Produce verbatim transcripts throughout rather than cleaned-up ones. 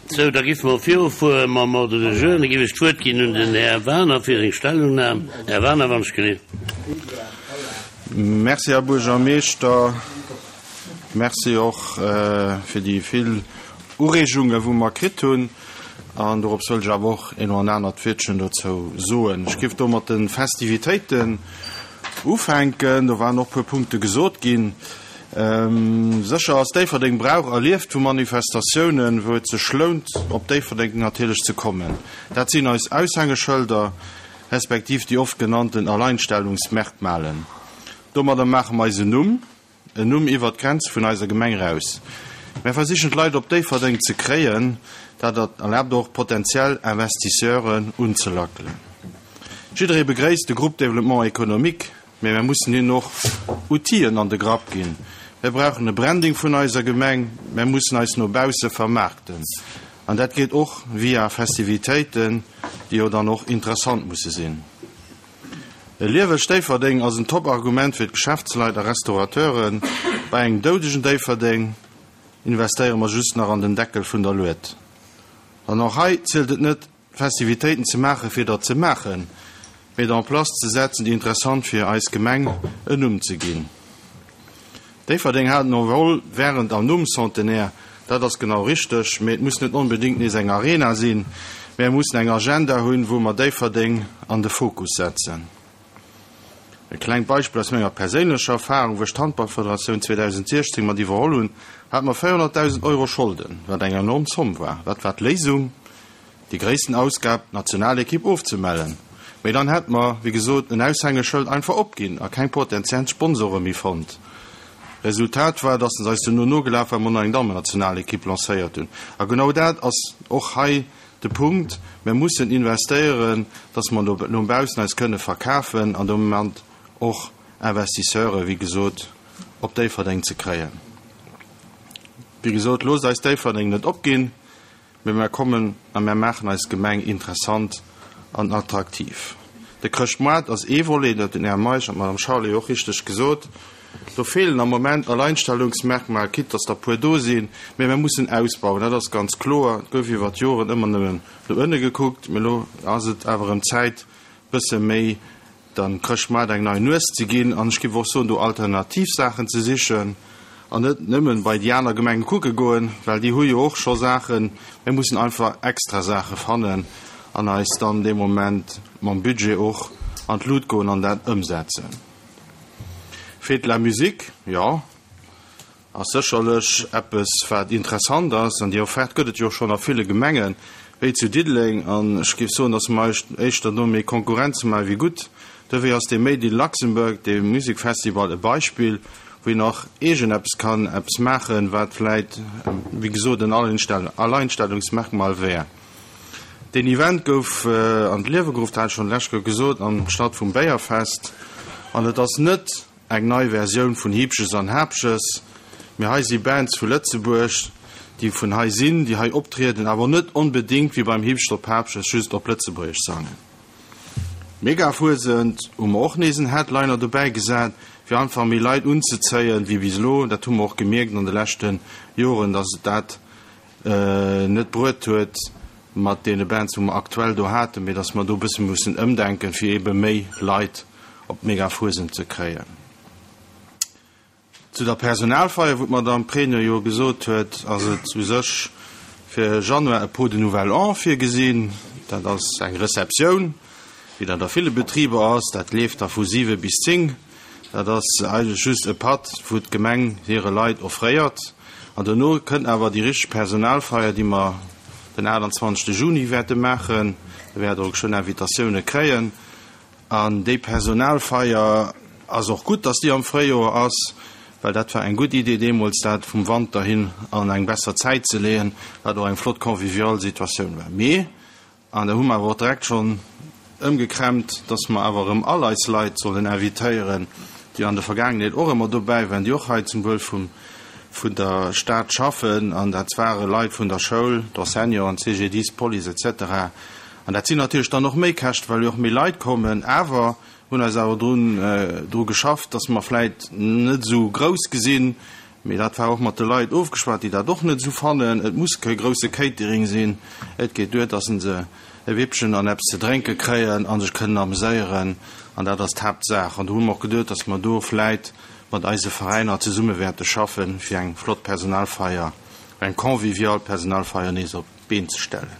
Sou, da géife mer virufuere mam Ordre du jour. Da géif ech d'Wuert ginn un den Här Wagener fir seng Stellungnam. Här Wagener, wann ech gelift. Merci, Här Buergermeeschter. Merci och fir déi vill Ureegungen, wou mer kritt hunn. An dorops wëll ech awer och een oder anert Wiertchen dozou soen. Ech géif do mat de Festivitéiten ufänken. Do waren och e puer Punkte gesot ginn. Sécher ass Déifferdeng brauch a lieft vu Manifestatiounen, wou et sech lount, op Déifferdeng natierlech ze kommen. Dat sinn eis Aushängeschëlder, respektiv déi oft genannten Alleinstellungsmerkmalen. Domadder maache mer eis en Numm. En Numm iwwert d'Grenze vun eiser Gemeng eraus. Mär versichen d'Leit op Déifferdeng ze kréien, dat erlaabt och potentiell Investisseuren unzelackelen. Jidderee begréisst de Groupe Développement économique, mee mär mussen hinnen och Outiller an de Grapp ginn. Mär brauchen e Branding vun eiser Gemeng, mär mussen eis no bausse vermaarkten. An dat geet och via Festivitéiten, déi jo dann och interessant musse sinn. E liewegt Déifferdeng ass en Top-Argument fir d'Geschäftsleit a Restaurateuren. Bei engem doudegen Déifferdeng investéiere mer just nach an den Deckel vun der Lued. An och hei zielt et net, Festivitéiten ze maachen, fir der ze maachen, mee der en place ze setzen, déi interessant fir eis Gemeng en Numm ze ginn. Déifferdeng hat en Envol wärend an nom Centenaire, dat ass genau richteg, mee et muss net onbedéngt nees eng Arena sinn. Mär mussen eng Agenda hunn, wou mer Déifferdeng an de Fokus setzen. E klengt Beispill aus menger perséinlecher Erfahrung, Wou ech d'Handballfederatioun zweedausendsiechzéng mat iwwerholl hunn, hate mer véierhonnertdausend Euro Scholden, wat eng enorm Zomm war. Wat war d'Léisung? Déi gréissten Ausgab, d'Nationalekipp ofzemellen. Mee dann hätt mer, wéi gesot, en Aushängeschëld einfach opginn a keng potentiell Sponsore méi fonnt. Resultat war, dass se eis duerno nogelaf, well mer nach eng Dammennationalekipp lancéiert hunn. A genau dat ass och hei de Punkt, Mir mussen investéieren, dass mer no baussen eis kënne verkafen an domat och Investisseure, wéi gesot, op Déifferdeng ze kréien. Wéi gesot, loosst eis Déifferdeng net opginn, mee mer kommen a mer maachen eis Gemeng interessant an attraktiv. De Chrëschtmoart ass ee Volet, dat huet den Här Meisch an d'Madame Charlé och richteg gesot. Do feelen am Moment Alleinstellungsmerkmal, quitte dass der puer do sinn, mee mer mussen ausbauen, dat ass ganz kloer. Et gouf iwwer d'Joren ëmmer nëmmen no ënne gekuckt, mee elo ass et awer erëm Zäit, bësse méi dem Chrëschtmaart eng nei Nues ze ginn an ech géif och soen, do alternativ Saachen ze sichen an net nëmmen bei déi aner Gemenge kucke goen, well déi hu jo och scho Saachen. Mir mussen einfach extra Saache fannen an eis dann dee Moment mam Budget och an d'Lut goen an dat ëmsetzen. Fête de la musique, jo, ass sécherlech eppes, wat interessant ass. An déi Offerte gëtt et jo och schonn a ville Gemengen, wéi zu Diddeleng. An ech géif soen, datt mer éischter do méi Konkurrenz maache wéi gutt. Dofir ass dee Made in Luxembourg, dee Musikfestival, e Beispill, wou een och eegen eppes kann eppes maachen, wat vläit, wéi gesot, en Alleinstellungsmerkmal wär. Deen Event gouf an d'Liewe geruff, dat hat ech schonn d'lescht Kéier gesot, anstatt vum Béierfest. An et ass net eng nei Versioun vun Hiibsches an Haapsches, mee hei si Bands vu Lëtzebuerg, déi vun hei sinn, déi hei optrieden, awer net onbedéngt wéi beim Hiibscht op Haapsches just op Lëtzebuergesch sangen. Megafuesent hu mer och nees en Headliner dobäi gesat, fir einfach méi Leit unzezéien wéi bis elo. Dat hu mer och gemierkt an de leschte Joren, dass et dat net bruet huet mat deene Bands, wou mer aktuell do haten, mee dass mer do e bësse mussen ëmdenken, fir eebe méi Leit op d'Megafuesent ze kréien. Zu der Personalfeier, wou d'Madame Pregno jo gesot huet, ass et u sech fir Januar e Pot de Nouvel An virgesinn. Dat ass eng Receptioun, wéi dat a ville Betriber ass. Dat leeft da vu siwe bis zéng. Dat ass eigentlech just e Patt, wou d'Gemeng hire Leit offréiert. An dono kënnt awer déi richteg Personalfeier, déi mer den aachtanzwanzegste Juni wäerte maachen. Da wäert Der och schonn Invitatioune kréien. An déi Personalfeier ass och gutt, dass déi am Fréijoer ass, well dat war eng gutt Idee deemools, dat vum Wanter hin an eng besser Zäit ze leeën, wat och eng flott convivial Situatioun war. Mee, an da hu mer awer och direkt schonn ëmgekrämpt, dass mer awer erëm all eis Leit sollen invitéieren, déi an der Vergaangenheet och ëmmer dobäi waren, déi och hei zum Wuel vum, vun der Stad schaffen, an dat ware Leit vun der Schoul, d'Enseignanten, C G D I S, Police et cetera. An dat sinn natierlech dann och méi Käschten, well jo och méi Leit kommen, awer hunn eis awer drun, dru geschafft, dass mer vläit net esou grouss gesinn, Mee dat war och mat de Leit ofgeschwat, déi dat och net esou fannen. Et muss kee grousse Catering sinn. Et geet duer, dass se e Wippchen an eppes ze drénke kréien a sech kënnen ameséieren. An dat ass d'Haaptsaach. An do hu mer och geduet, dass mer do vläit mat eise Veräiner zesumme wäerte schaffen, fir eng flott Personalfeier, eng convivial Personalfeier nees op d'Been ze stellen.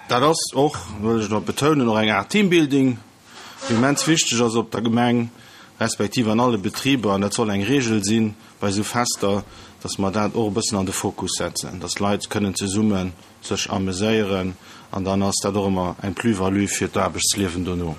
Dat ass och, wëll ech nach betounen, och eng Aart Teambuilding, déi immens wichteg ass op der Gemeng, respektiv an alle Betriber. An dat soll eng Regel sinn bei esou Fester, dass mer dat och e bëssen an de Fokus setzen, dass d'Leit kënnen zesumme sech ameséieren an dann ass dat och ëmmer eng Plus-value fir d'Aarbechtsliewen dono.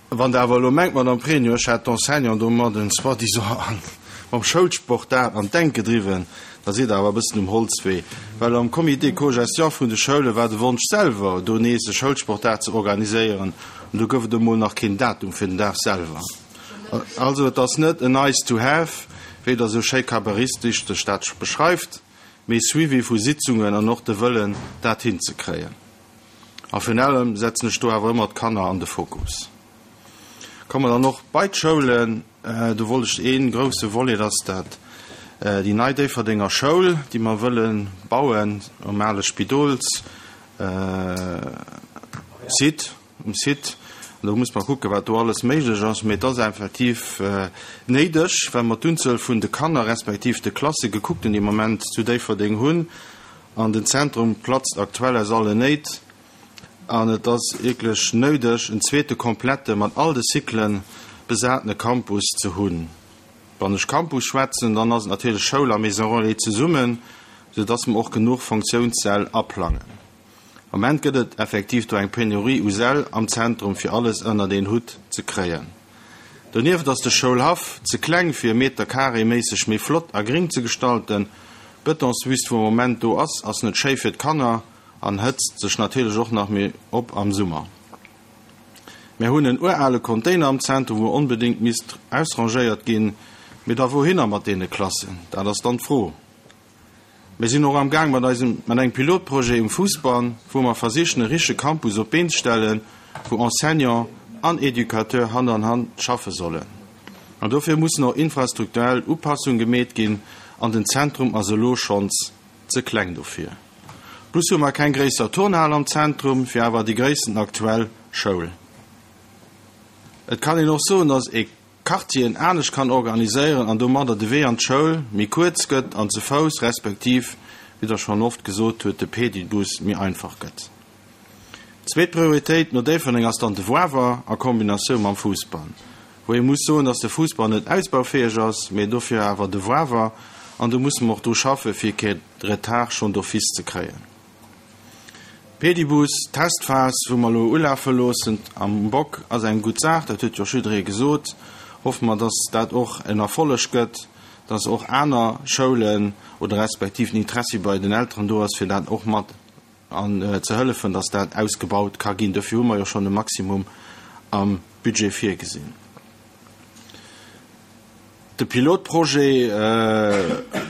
Wann Der awer elo mengt, Madame Pregno, ech hätt d'Enseignanten domadden soi-disant mam Schoulsportdag an d'Enk gedriwwen, da sidd Der awer e bëssen um Holzwee. Well am Comité co-gestion vun de Schoule war de Wonsch selwer, do nees e Schoulsportdag ze organiséieren, an do gouf et emol nach keen Datum fir den Dag selwer. Also et ass net en nice to have, wéi Der esou schéi kabarettistesch dat beschreift, mee Suivi vu Sitzungen an och de Wëllen, dat hinzekréien. A virun allem setzen ech do awer ëmmer d'Kanner an de Fokus. Komme dann och bei d'Schoulen. Do wollt ech ee grousse Volet, ass dat déi nei Déifferdenger Schoul, déi mer wëlle bauen um ale Spidols Site, um Site. An do muss mer kucken, wat do alles méiglech ass. Mee et ass effektiv néideg, well mer d'Unzuel vun de Kanner respektiv de Klasse gekuckt hunn, déi mer am Moment zu Déifferdeng hunn. An den Zentrum platzt aktuell aus allen Néit. An et ass wierklech néideg, en zweete komplette, mat all de Cyclen besatene Campus ze hunn. Wann ech Campus schwätzen, dann ass et natierlech Schoul a Maison relais zesummen, soudass mer och genuch Fonctiounssäll aplangen. Am Moment gëtt et effektiv do eng Penurie u Säll am Zentrum, fir alles ënnert een Hutt ze kréien. Donieft ass de Schoulhaff ze kleng, fir e Meter carré méisseg méi flott a gring ze gestalten. D'Bëtonswüst, wou am Moment do ass, ass net schéi fir d'Kanner an hëtzt sech natierlech och nach méi op am Summer. Mär hunn en urale Container am Zentrum, wou onbedéngt misst ausrangéiert ginn. Mee da wouhinner mat deene Klassen? Dat ass dann d'Fro. Mir sinn och am Gaang mat eisem, mat engem Pilotprojet um Fousbann, wou mer versichen e richtege Campus op d'Been ze stellen, wou Enseignant an Educateur Hand an Hand schaffe sollen. An dofir mussen och infrastrukturell Upassunge gemeet ginn an den Zentrum ass elo schonns ze kleng dofir. Plus hu mer keng gréisser Turnhal am Zentrum, fir awer déi gréissten aktuell Schoul. Et kann een och soen, dass ee Quartieren anescht kann organiséieren an domadder de Wee an d'Schoul méi kuerz gëtt an ze Fouss respektiv, wéi Der schonn oft gesot hutt, de Pedibus méi einfach gëtt. Zweet Prioritéit no Déifferdeng ass dann de Wawer a Kombinatioun mam Fousbann, wou ee muss soen, dass de Fousbann net ausbaufäeg ass, mee dofir awer de Wawer, an do musse mer och dru schaffe fir kee Retard schonn d'office ze kréien. Pedibus, Testphas, wou mer elo ulafe loossen am Bock, ass eng gutt Saach, dat huet jo och jidderee gesot. Hoffe mer, dass dat och en Erfolleg gëtt, dass och aner Schoulen oder respektiv den Interessi bei den Elteren do ass, fir dat och mat an ze hëllefen, dass dat ausgebaut ka ginn. Dofir hu mer jo schonn e Maximum am Budget virgesinn. De Pilotprojet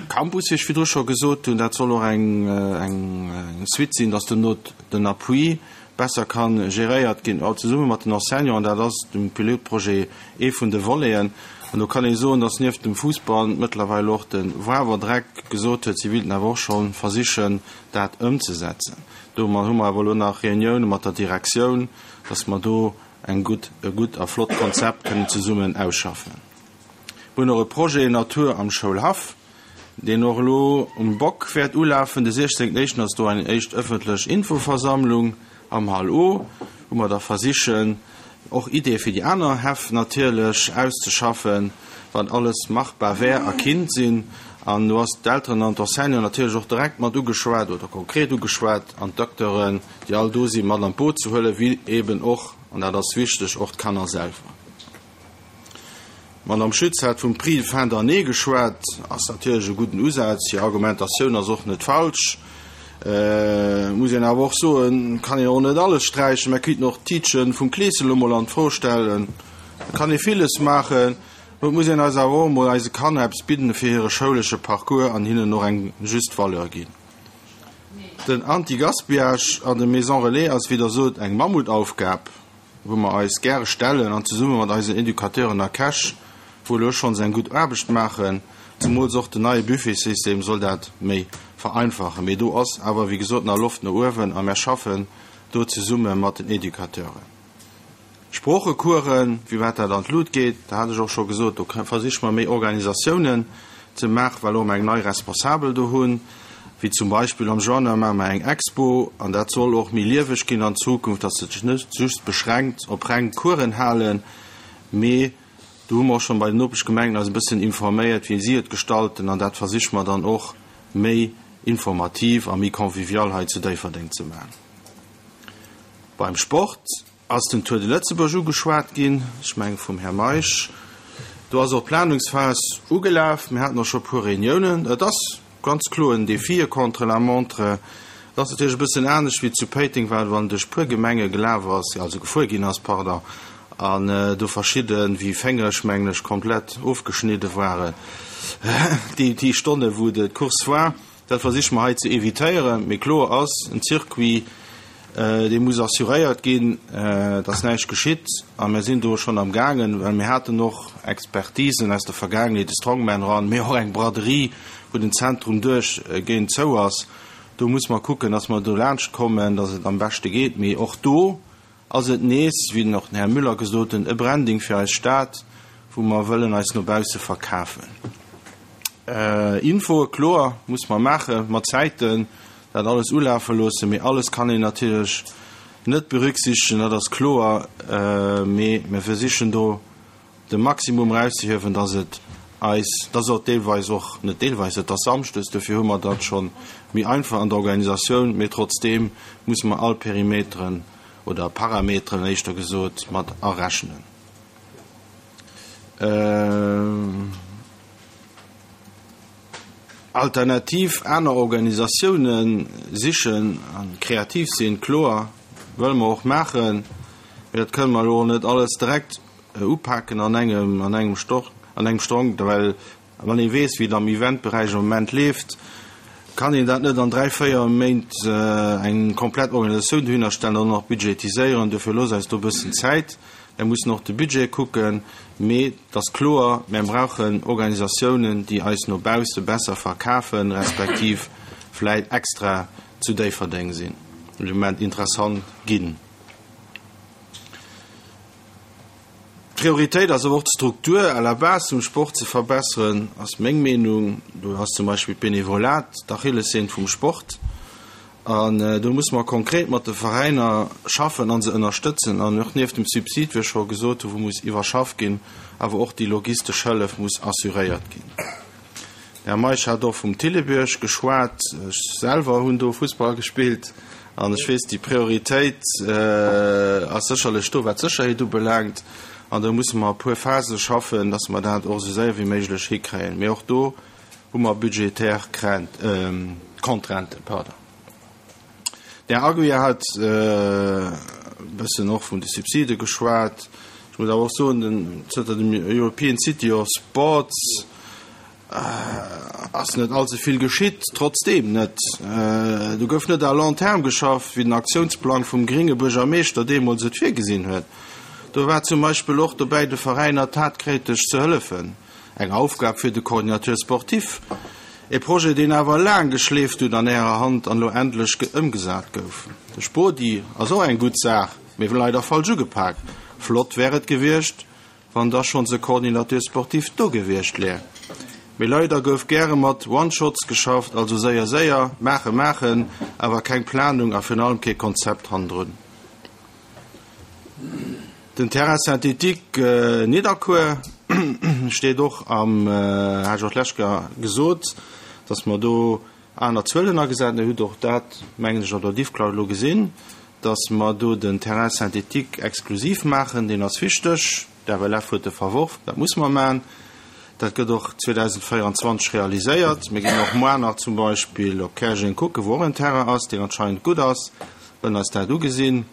Campus, wéi ech virdru scho gesot hunn, dat soll och eng eng Suite sinn, dass duerno den Appui besser ka geréiert ginn, all zesumme mat den Enseignanten. Dat ass dem Pilotprojet ee vun de Voleten. An do kann ee soen, dass nieft dem Fussball mëttlerweil och de Wawer Dreck gesot huet, si wéilten awer och scho versichen, dat ëmzesetzen. Do hu mer awer elo nach Reunioune mat der Direktioun, dass mer do eng gutt, e gutt a flott Konzept kënnen zesummen ausschaffen. Mir hunn och e Projet Natur am Schoulhaff, deen och elo um Bock wäert ulafen. De siechzéngten éischten ass do eng éischt ëffentlech Infoversammlung am Hall O, wou mer da versichen, och Ideeë fir déi aner Häff natierlech auszeschaffen, wat alles machbar wär a kinnt sinn. An do ass d'Elteren an d'Enseignanten natierlech och direkt mat ugeschwat oder konkret ugeschwat an d'Acteuren, déi all do sinn, mat an d'Boot ze huelen, wéi eben och, an dat ass wichteg, och d'Kanner selwer. D'Madame Schütz hat vum Prix de fin d'année geschwat. Ass natierlech e gudden Usaz. Hir Argumentatioun ass och net falsch. Muss een awer och soen, kann een och net alles sträichen. Mer kéinten och d'Tiitche vum Kleeschen elo mol an d'Fro stellen. Et kann ee villes maachen. Mä et muss een eis awer och emol eise Kanner eppes bidden fir hire schoulesche Parcours an hinnen och eng just Valeur ginn. Den Anti-Gaspillage an de Maisons Relais ass, wéi Der sot, eng Mammutaufgab. wou mer eis gäre stellen an zesumme mat eisen Educateuren a Käch, wou elo schonns eng gutt Aarbecht maachen. Zemools och den neie Buffetsystem soll dat méi vereinfachen. Mee do ass awer, wéi gesot, nach Loft no uewen a mär schaffen do zesumme mat den Educateuren. Sproochecoursen, wéi wat dat an d'Lut geet, dat hat ech och scho gesot, do versiche mer méi Organisatiounen ze maachen, well och mer eng nei Responsabel do hunn, wéi zum Beispill am Januar maache mer eng Expo an dat soll och méi lieweg ginn an Zukunft, dass et sech net just beschränkt op reng Coursen halen, mee do hu mer och schonn bei den Nopeschgemengen eis e bëssen informéiert, wéi si et gestalten an dat versiche mer dann och méi informativ a méi convivial hei zu Déifferdeng ze maachen. Beim Sport ass den Tour de Lëtzebuerg ugeschwat ginn, ech menge vum Här Meisch. Do ass och d'Planungsphas ugelaf. Mir haten och scho e puer Reuniounen. Et ass ganz kloer en Défi, e Contre-la-montre. Et ass natierlech e bëssen anescht wéi zu Péiteng, well wann duerch puer Gemenge gelaf ass, also gefuer ginn ass, pardon, an do verschidde wéi Féngeg, mengen ech, komplett ofgeschnidde waren, déi, déi Stonne wou d'Course war. Dat versiche mer hei ze evitéieren. Mee kloer ass, en Circuit, dee muss assuréiert ginn, dass näischt geschitt. A mir sinn do schonn am gaangen, well mir haten och Expertisen aus der Vergaangenheet, de Strongman Run, mee och eng Braderie, wou den Zentrum duerchgehend zou ass. Do muss mer kucken, dass mer do laanscht kommen, dass et am beschte geet. Mee och do ass et nees, wéi och den Här Müller gesot huet, e Branding fir eis Stad, wou mer wëllen eis no bausse verkafen. Infoe, kloer, muss mer maache mat Zäiten, dat alles ulafe loossen, mee alles kann een natierlech net berücksichtegen, dat ass kloer, mee mir versichen do de Maximum erauszehiewen, dass et eis, dass och deelweis och, net deelweis, et ass samschdes, dofir hu mer dat scho méi einfach an der Organisatioun, mee trotzdeem musse mer all Perimeteren oder Parameteren éischter gesot mat arechnen. Alternativ aner Organisatioune sichen a kreativ sinn, kloer, wëlle mer och maachen, mee dat kënne mer elo net alles direkt upaken an engem an engem Stock, an engem Stronk, well wann ee weess, wéi et am Eventberäich am Moment leeft, kann een dat net an dräi, véier Méint eng komplett Organisatioun dohinner stellen an och nach budgetiséieren. Dofir loosst eis do e bëssen Zäit. Mir mussen och de Budget kucken. Mee et ass kloer, mir brauchen Organisatiounen, déi eis no bausse besser verkafen, respektiv vläit extra zu Déifferdeng sinn, de Moment interessant ginn. D'Prioritéit ass awer och d'Struktur à la base vum Sport ze verbesseren, ass meng Meenung. Do ass zum Beispill d'Benevolat d'Achillessehn vum Sport. An do musse mer konkret mat de Veräiner schaffen a se ënnerstëtzen. An och nieft dem Subsid, wéi ech scho gesot hu, wou muss iwwerschafft ginn, awer och déi logistesch Hëllef muss assuréiert ginn. Den Här Meisch hat och vum Thillebierg geschwat. Ech selwer hunn do Fussball gespillt an ech weess, déi Prioritéit ass sécherlech do, wat d'Sécherheet ubelaangt. An do musse mer a puer Phase schaffen, dass mer dat och esou séier wéi méiglech hikréien. Mee och do hu mer budgetär Contrainten. Pardon. Den Här Aguiar hat e bëssen och vun de Subside geschwat. Ech muss awer och soen, den, zënter dem European City of Sports ass net allze vill geschitt, trotzdeem net. Do gouf net à long terme geschafft, wéi den Aktiounsplang vum gringe Buergermeeschter deemools et virgesinn huet. Do war zum Beispill och dobäi, de Veräiner tatkräfteg ze hëllefen, eng Aufgab fir de Coordinateur sportif. E Projet, deen awer laang geschleeft huet an Ärer Hand an elo endlech ëmgesat gouf. De Spodi ass och eng gutt Saach, mee leider falsch ugepak. Flott wär et gewiescht, wann da schonns e Coordinateur sportif do gewiescht wär. Mee leider gouf gäre mat One-Shots geschafft, also séier séier, maache maachen, awer keng Planung a virun allem kee Konzept hannendrun. Den Terrain synthétique Nidderkuer steet och am, hat ech och d'lescht Kéier gesot, dass mer do aner Zuelen agesat hunn. Dir hutt och dat, mengen ech, an der Diffcloud elo gesinn, dass mer do den Terrain synthétique exklusiv maachen. Deen ass wichteg. D'F L F huet e verworf, dat muss mer maachen. Dat gëtt och zweedausendvéieranzwanzeg realiséiert. Mir ginn och muer nach zum Beispill op Käerjeng kucken, wou och en Terrain ass, deen anscheinend gutt ass, wëllen eis dat ugesinn.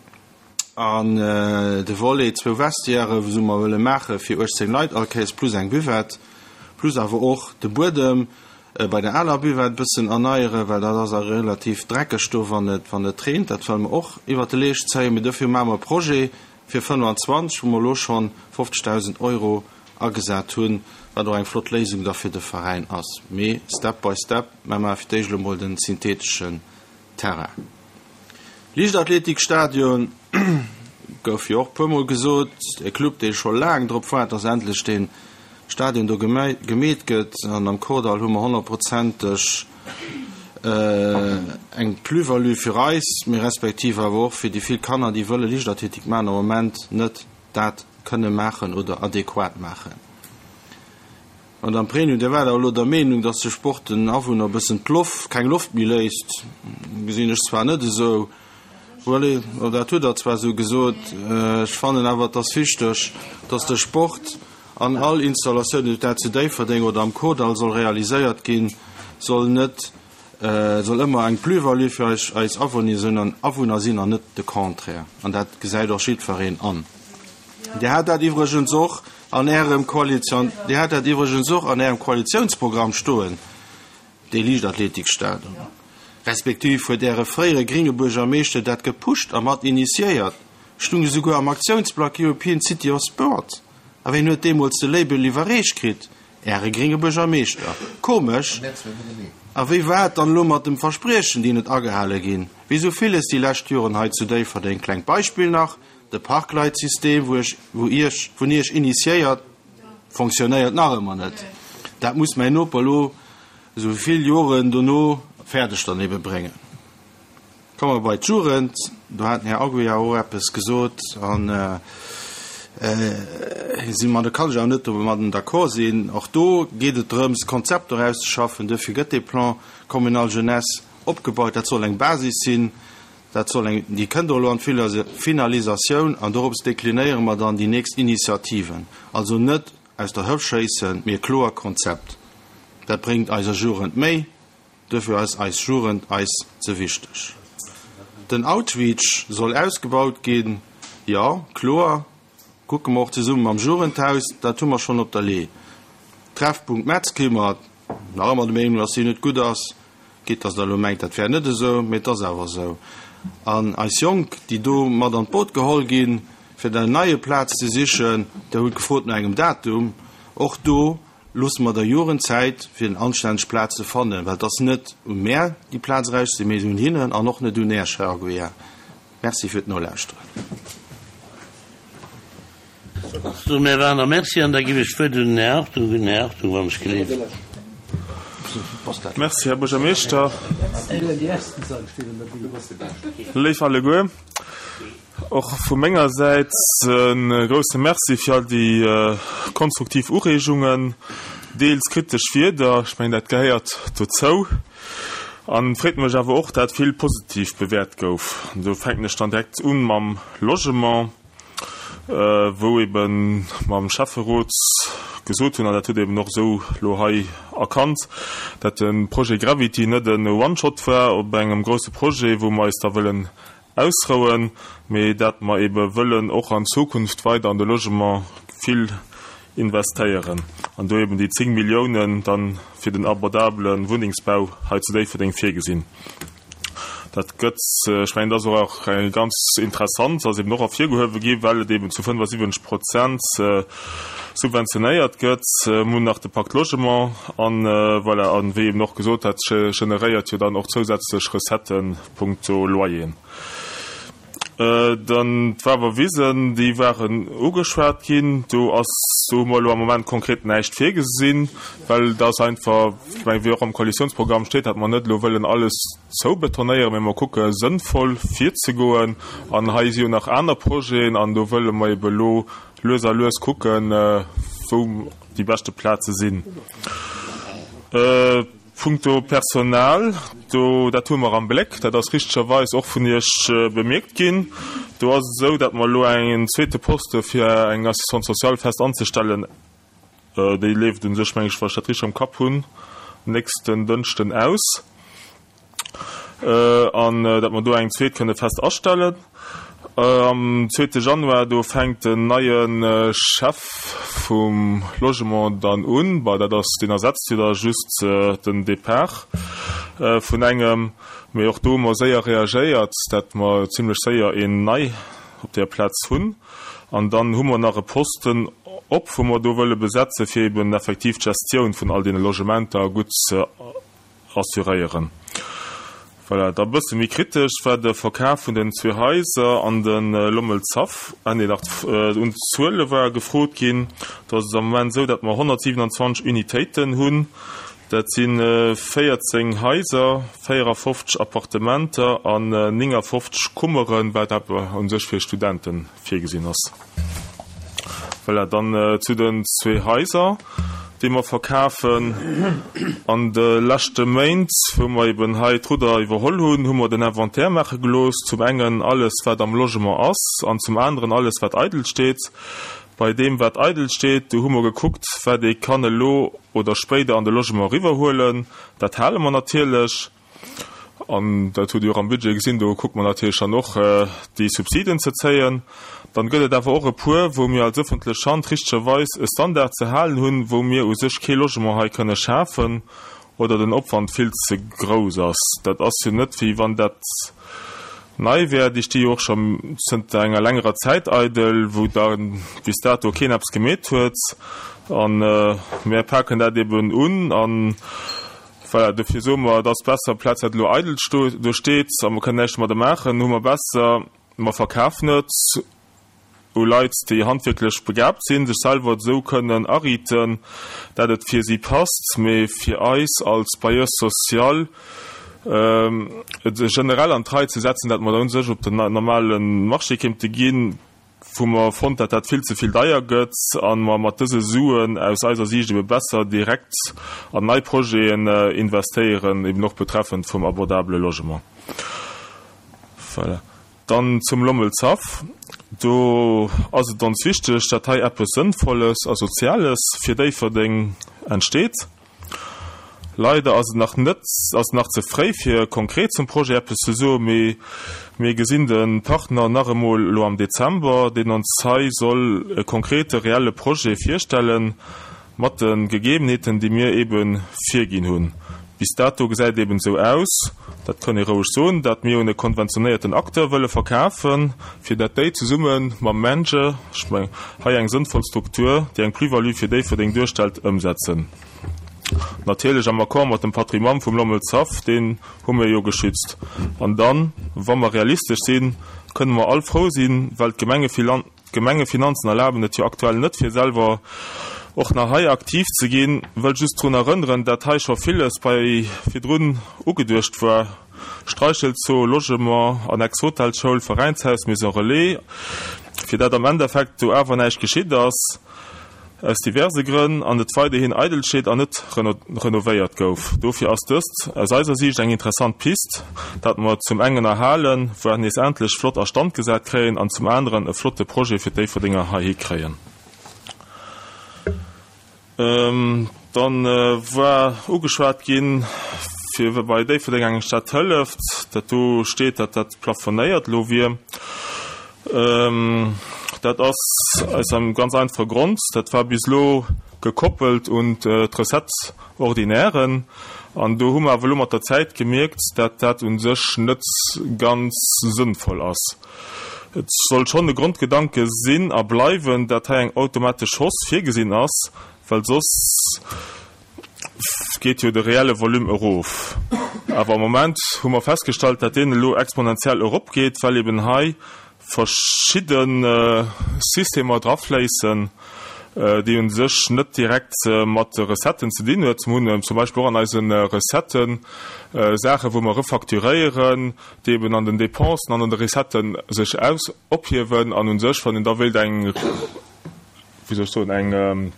An de Volet zwou Vestiaire, wou mer wëlle maache fir uechtzéng Leit all Kéiers, plus eng Buvette, plus awer och de Buedem bei der aler Buvette bëssen erneieren, well dat ass a relativ dreckeg do, wann et wann et reent. Dat wëlle mer och iwwert de Leescht zéien. Mee dofir maache mer e Projet, fir fënnefanzwanzeg, wou mer elo schonn fofzegdausend Euro agesat hunn, wat och eng flott Léisung da fir de Veräin ass. Mee step by step, mä maache fir d'éischt elo mol den syntheteschen Terrain. Liichtathletikstadion gouf jo och e puermol gesot, e Club, dee scho laang drop waart, dass endlech dee Stadion do gemeet gëtt. An am Kordall hu mer honnertprozenteg eng Plus-value fir eis, mee respektiv awer och fir déi vill Kanner, déi wëlle Liichtathletik maachen, am Moment net dat kënne maachen oder adequat maachen. Madame Pregno, Dir waart awer elo der Meenung, dass de Sport den Awunner e bëssen d'Loft, keng Loft méi léisst. Gesinn ech zwar net esou. Voilà, dat hutt Der zwar esou gesot. Ech fannen awer, et ass wichteg, dass de Sport an all Installatioun, ob dat zu Déifferdeng oder am Kordall soll realiséiert ginn, soll net, soll ëmmer eng Plus-value fir eis, eis Awunner sinn an net de Contraire. An dat gesäit och jiddwereen an. Dir hat dat iwwregens och an Ärem Koalition, Dir hat dat iwwregens och an Ärem Koalitionsprogramm stoen, dee Liichtathletikstadion. Respektiv huet Äre fréiere gringe Buergermeeschter dat gepusht a mat initiéiert, stung esouguer am Aktiounsblack European City of Sport. A ween huet deemools de Label iwwerreecht kritt? Äre gringe Buergermeeschter. Komesch. A wéi war et dann elo mat dem Verspriechen, déi net agehale ginn? Wéi sou villes déi lescht Joren hei zu Déifferdeng. Klengt Beispill nach, De Parkleitsystem, wou ech, wou Iech, vun Iech initiéiert, fonctionnéiert nach ëmmer net. Dat muss mäin Noper elo esou vill Joren dono fäerdeg dann ebe bréngen. Komme mer bei d'Jugend. Do hat den Här Aguiar och eppes gesot an si mer, do kann ech awer net domadden d'accord sinn. Och do geet et drëms, Konzepter auszeschaffen. Duerfir gëtt dee Plan communal jeunesse opgebaut. Dat soll eng Basis sinn. Dat soll eng, déi kënnt och elo an d'Finalisatioun an dorops deklinéiere mer dann déi nächst Initiativen. Also net aus der Hëft schéissen, mee e kloer Konzept. Dat bréngt eiser Jugend méi, duerfir ass eis Jugend eis ze wichteg. Den Outreach soll ausgebaut ginn, jo, kloer, kucke mer och zesumme mam Jugendhaus, dat hu mer schonn op der Lee. Treffpunkt Metzkimmert, nach ëmmer der Meenung, dass deen net gutt ass. Quitte dass Der elo mengt, dat wär net esou, mee et ass awer esou. An eis Jonk, déi do mat an d'Boot geholl ginn, fir dann en neie Plaz ze sichen, Der hutt gefrot no engem Datum, och do loosse mer der Jugend Zäit, fir en anstänneg Plaz ze fannen, well et ass net u mär, déi Plaz erauszesinn, mee un hinnen an och net un Äech, Här Aguiar. Merci fir d'Nolauschteren. Sou, Här Werner, Merci. An da ginn ech d'Wuert un den Här Hartung. Un den Här Hartung, wann ech geleeft. Merci, Här Buergermeeschter. Léif alleguer, och vu menger Säit e grouse Merci fir all déi konstruktiv Ureegungen, deels kritesch Wierder, ech mengen, dat gehéiert dozou. An et freet mech awer och, dat vill positiv bewäert gouf. An do fänken ech dann direkt u mam Logement, wou ebe mam Schäfferot gesot hunn, an dat hutt Der eben och esou elo hei erkannt, dat de Projet Gravity net e One-Shot war op engem grouse Projet, wou mer eis da wëllen ausrouen, mee dat mer ebe wëllen och an Zukunft weider an de Logement vill investéieren an do eben déi zéng Milliounen dann fir den abordabele Wunnengsbau hei zu Déifferdeng virgesinn. Dat gëtt, ech mengen, dat ass och ganz interessant, ass eben och ervirgehuewe gi well et eben zu fënnefasiwwenzeg Prozent subventionéiert gëtt. Mir hunn nach de Pacte Logement an, voilà, an wéi eben och gesot, dat generéiert jo dann och zousätzlech Recetten punkto Loyeren. Dann d'Wawerwisen, déi waren ugeschwat ginn. Do ass, do hu mer elo am Moment konkret näischt virgesinn, well et ass einfach, ech mengen, wéi och am Koalitionsprogramm steet, datt mer net elo wëllen alles zoubetonéieren, mä mer kucke sënnvoll virzegoen. An hei si jo nach aner Projeten an do wëlle mer ebe elo lues a lues kucken, wou déi beschte Plaze sinn. Punkto Personal, do, dat hu mer am Bléck, dat ass richtegerweis och vun Iech bemierkt ginn. Do ass et esou, datt mer elo en zweete Poste fir eng Assistante sociale fest anzestellen, déi leeft u sech, meng ech, wa ech dat richteg am Kapp hunn, nächsten Dënschden aus, an datt mer do eng zweet kënne fest astellen. Am zweete Januar, do fänkt den neie Chef vum Logement dann un. Bah, dat ass, deen ersetzt jo da just den Depart vun engem. Mee och do hu mer séier reagéiert, dat mer zimlech séier een nei op där Plaz hunn. An dann hu mer nach e Posten op, wou mer do wëlle besetze fir eben effektiv d'Gestioun vun all deene Logementer gutt ze assuréieren. Voilà, da bësse méi kritesch war de Verkaf vun den zwee Haiser an de Lommelshaff. Ah nee, nach un d'Zuele war gefrot ginn. Do ass et am Moment esou, datt mer honnertsiwenanzwanzeg Unitéiten hunn. Dat si véierzéng Haiser, véierafofzeg Appartementer an néngafofzeg Kummeren, wat awer u sech fir Studente virgesinn ass. Voilà, dann zu den zwee Haiser, déi mer verkafen. An de leschte Méint, wou mer eben hei d'Rudder iwwerholl hunn, hu mer den Inventaire maache gelooss, zum engen alles, wat am Logement ass, an zum aneren alles, wat eidel steet. Bei deem, wat eidel steet, do hu mer gekuckt, wat ee kann elo oder spéider an de Logement eriwwerhuelen. Dat hale mer natierlech. An dat hutt Dir och am Budget gesinn, do kucke mer natierlech dann och, déi Subsiden ze zéien. Dann gëtt et awer och e puer, wou mir als ëffentlech Hand richtegerweis e Standard ze halen hunn, wou mir u sech kee Logement hei kënne schafen oder den Opwand vill ze grouss ass. Dat ass jo net, wéi wann dat nei wär. Déi sti jo och scho zënter enger längerer Zäit eidel, wou da bis dato keen eppes gemeet huet. A mir paken dat eben un an voilà, dofir soe mer, et ass besser, amplaz dat elo eidel do steet a mer kënnen näischt domadder maachen, hu mer besser, mer verkafen et u Leit, déi handwierklech begabt sinn, sech selwer esou kënnen ariiten, dat et fir si passt, mee fir eis als Bailleur social et generell an d'Rei ze setzen, dat mer da u sech op den normale Marché kéinte ginn, wou mer fonnt, dat dat vill ze vill deier gëtt a mer mat dëse Suen aus eiser Siicht ebe besser direkt an nei Projeten investéieren, eben och betreffend vum abordabele Logement. Voilà. Dann zum Lommelshaff. Do ass et ons wichteg, dat hei eppes Sënnvolles a Soziales fir Déifferdeng entsteet. Leider ass et nach net, ass et nach ze fréi fir konkret zum Projet eppes ze soen, mee mir gesinn de Partner nach emol elo am Dezember, deen ons hei soll e konkrete reelle Projet virstellen, mat de Gegebenheeten, déi mir ebe virginn hunn. Bis dato gesäit et eben esou aus, dat kann ee roueg soen, dat mir un e konventionéierten Acteur wëlle verkafen, fir dat déi zesumme mam MENJE, ech mengen, hei eng sënnvoll Struktur, déi eng Plus-value fir Déifferdeng duerstellt, ëmsetzen. Natierlech am Accord mat dem Patrimoine vum Lommelshaff, deen hu mir jo geschützt. An dann, wa mer realistesch sinn, kënne mer all frou sinn, well d'Gemengefinanzen erlaben et jo aktuell net, fir selwer och nach hei aktiv ze ginn. Wëll just drun erënneren, dat hei scho villes bei virdrun ugeduecht war, Streichelzoo, Logement, Annex Hotelschoul, Veräinshaus, Maison Relais, fir dat am Endeffekt do awer näischt geschitt ass. Aus diverse Grënn, an et weiderhin eidel steet an net renovéiert gouf. Dofir ass dëst aus eiser Siicht eng interessant Pist, dat mer zum engen erhalen, voire nees endlech flott a Stand gesat kréien an zum aneren e flotte Projet fir d'Déifferdenger heihi kréien. Dann war ugeschwat ginn, fir bei Déifferdeng eng Stad hëlleft, dat do steet, dat dat plafonéiert elo wier. Dat ass aus engem ganz einfache Grond, dat war bis elo gekoppelt un d'Recettes ordinairen. An do hu mer awer elo mat der Zäit gemierkt, dat dat u sech net ganz sënnvoll ass. Et soll schonn e Grondgedanke sinn a bleiwen, dat hei eng automatesch Hausse virgesinn ass, well soss geet jo de reelle Volume erof. Awer am Moment hu mer festgestallt, dat deen elo exponentiell eropgeet, well eben hei verschidde Systemer drafléissen, déi u sech net direkt mat de Recetten ze dinn huet. Mir hunn zum Beispill och an eise Recetten Saachen, wou mer refacturéieren, déi eben an den Dépensen an an de Recetten sech aus ophiewen an u sech, wann een da wéilt eng, wéi soll ech soen, eng,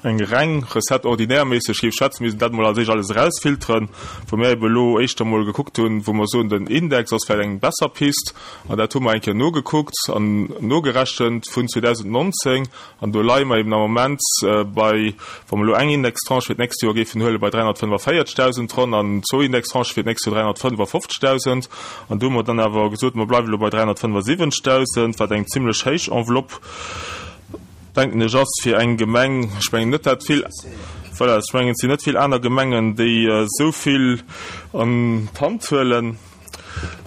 eng reng Recette ordinaire méisseg géif schwätzen, misst een dat emol als éischt alles erausfilteren, wou mir ebe elo éischter emol gekuckt hunn, wou mer soen, den Index ass vläicht eng besser Pist, an dat hu mer eng Kéier nogekuckt an nogerechent vun zweedausendnonzéng, an do leie mer eben am Moment bei, wa mer elo eng Indextranche fir d'nächst Joer géifen huelen, bei dräihonnertfënnefavierzeghtausend ronn an zwou Indextranchë fir d'nächst Joer dräihonnertfënnefafofzegtausend. An do hu mer dann awer gesot, mer bleiwen elo bei dräihonnertfënnefasiwwenzegtausend, wat eng zimlech héich Enveloppe, denken ech, ass fir eng Gemeng. Ech mengen net, dat vill, voilà, ech mengen, et sinn net vill aner Gemengen, déi esou vill an d'Hand huelen,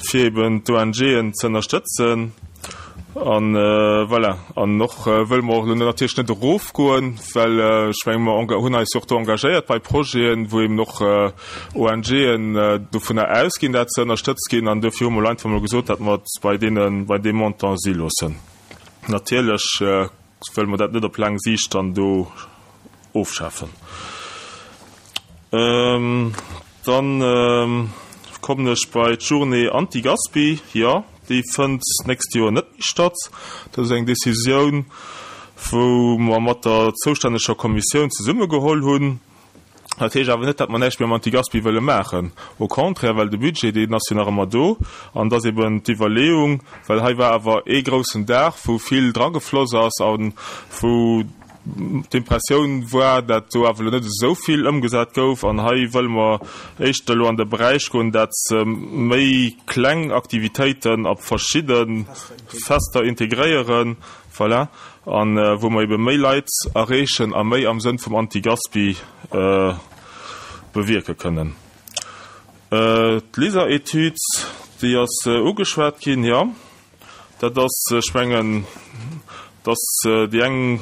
fir eben d'O N G'en ze ënnerstëtzen. An voilà, an och wëlle mer och elo natierlech net erofgoen, well ech menge mer hunn eis jo och do engagéiert bei Projeten, wou eben och ONGen dovunner ausginn, dat se ënnerstëtzt ginn. An dofir hu mer elo einfach emol gesot, datt mer et bei deene, bei deem Montant si loossen. Natierlech wëlle mer dat net op laang Siicht dann do ofschafen. Dann kommen ech bei d'Journée Anti-Gaspi. Jo, déi fënnt d'nächst Joer net méi statt. Dat ass eng Decisioun, wou mer mat der zoustänneger Kommissioun zesumme geholl hunn. Dat heescht awer net, datt mer näischt méi am Anti-Gaspi wëlle maachen. Au contraire, well de Budget, deen ass jo nach ëmmer do. An et ass eben d'Iwwerleeung, well hei war awer ee groussen Dag, wou vill dragefloss ass a wou d'Impressioun war, dat do awer elo net esou vill ëmgesat gouf. An hei wëlle mer éischter elo an de Beräich goen, dat méi kleng Aktivitéiten op verschidde Fester integréieren, voilà, a wou mer ebe méi Leit erreechen a méi am Sënn vum Anti-Gaspi bewierke kënnen. D'LISER-Etüd, déi ass ugeschwat ginn, jo. Dat ass, ech mengen, dass déi eng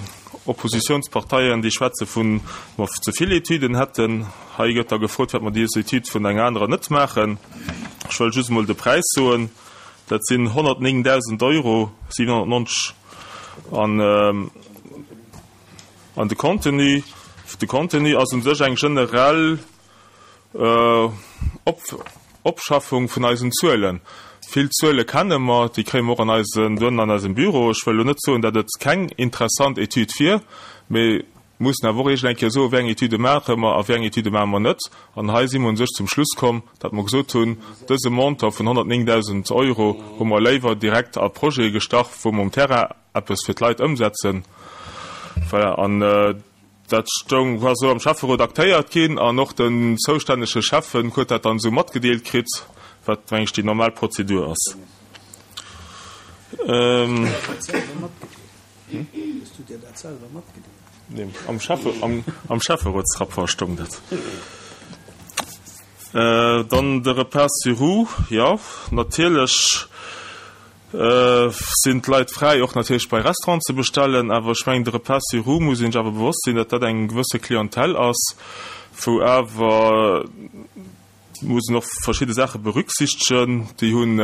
Oppositionsparteien, déi schwätze vun, mer ze vill Etüden hätten. Hei gëtt da gefrot, firwat mer déi Etüd vun enger anerer net maachen. Ech wëll just emol de Präis soen, Dat sinn honnertnéngdausend Euro siwenhonnertneunzeg. An, an de Contenu, de Contenu ass u sech eng generell Op, Opschaffung vun eisen Zuelen. Vill Zuele kenne mer, déi kréie mer och an eisen, dohennen an eisem Büro. Ech wëll elo net soen, datt et keng interessant Etüd wier, mee mussen awer och iergend eng Kéier soen, wéi eng Etüde maache mer a wéi eng Etüde maache mer net. An hei si mer u sech zum Schluss komm, datt mer gesot hunn, dëse Montant vun honnertnéngdausend Euro hu mer léiwer direkt a Projete gestach, wou mer um Terrain eppes fir d'Leit ëmsetzen. Voilà. An dat stoung, war esou am Schäfferot aktéiert ginn an och den zoustännege Schäffen huet dat dann esou matgedeelt kritt, wat, meng ech, déi normal Prozedur ass. Nee, am Schäffe, am, am Schäfferotsrapport stoung dat. Dann de Repas sur roues, jo, natierlech sinn d'Leit fräi, och natierlech bei Restauranten ze bestellen, awer ech mengen, de Repas sur roues muss een sech awer bewosst sinn, datt dat eng gewësse Clientèle ass, wou awer muss een och verschidde Saache berücksichtegen. Déi hunn,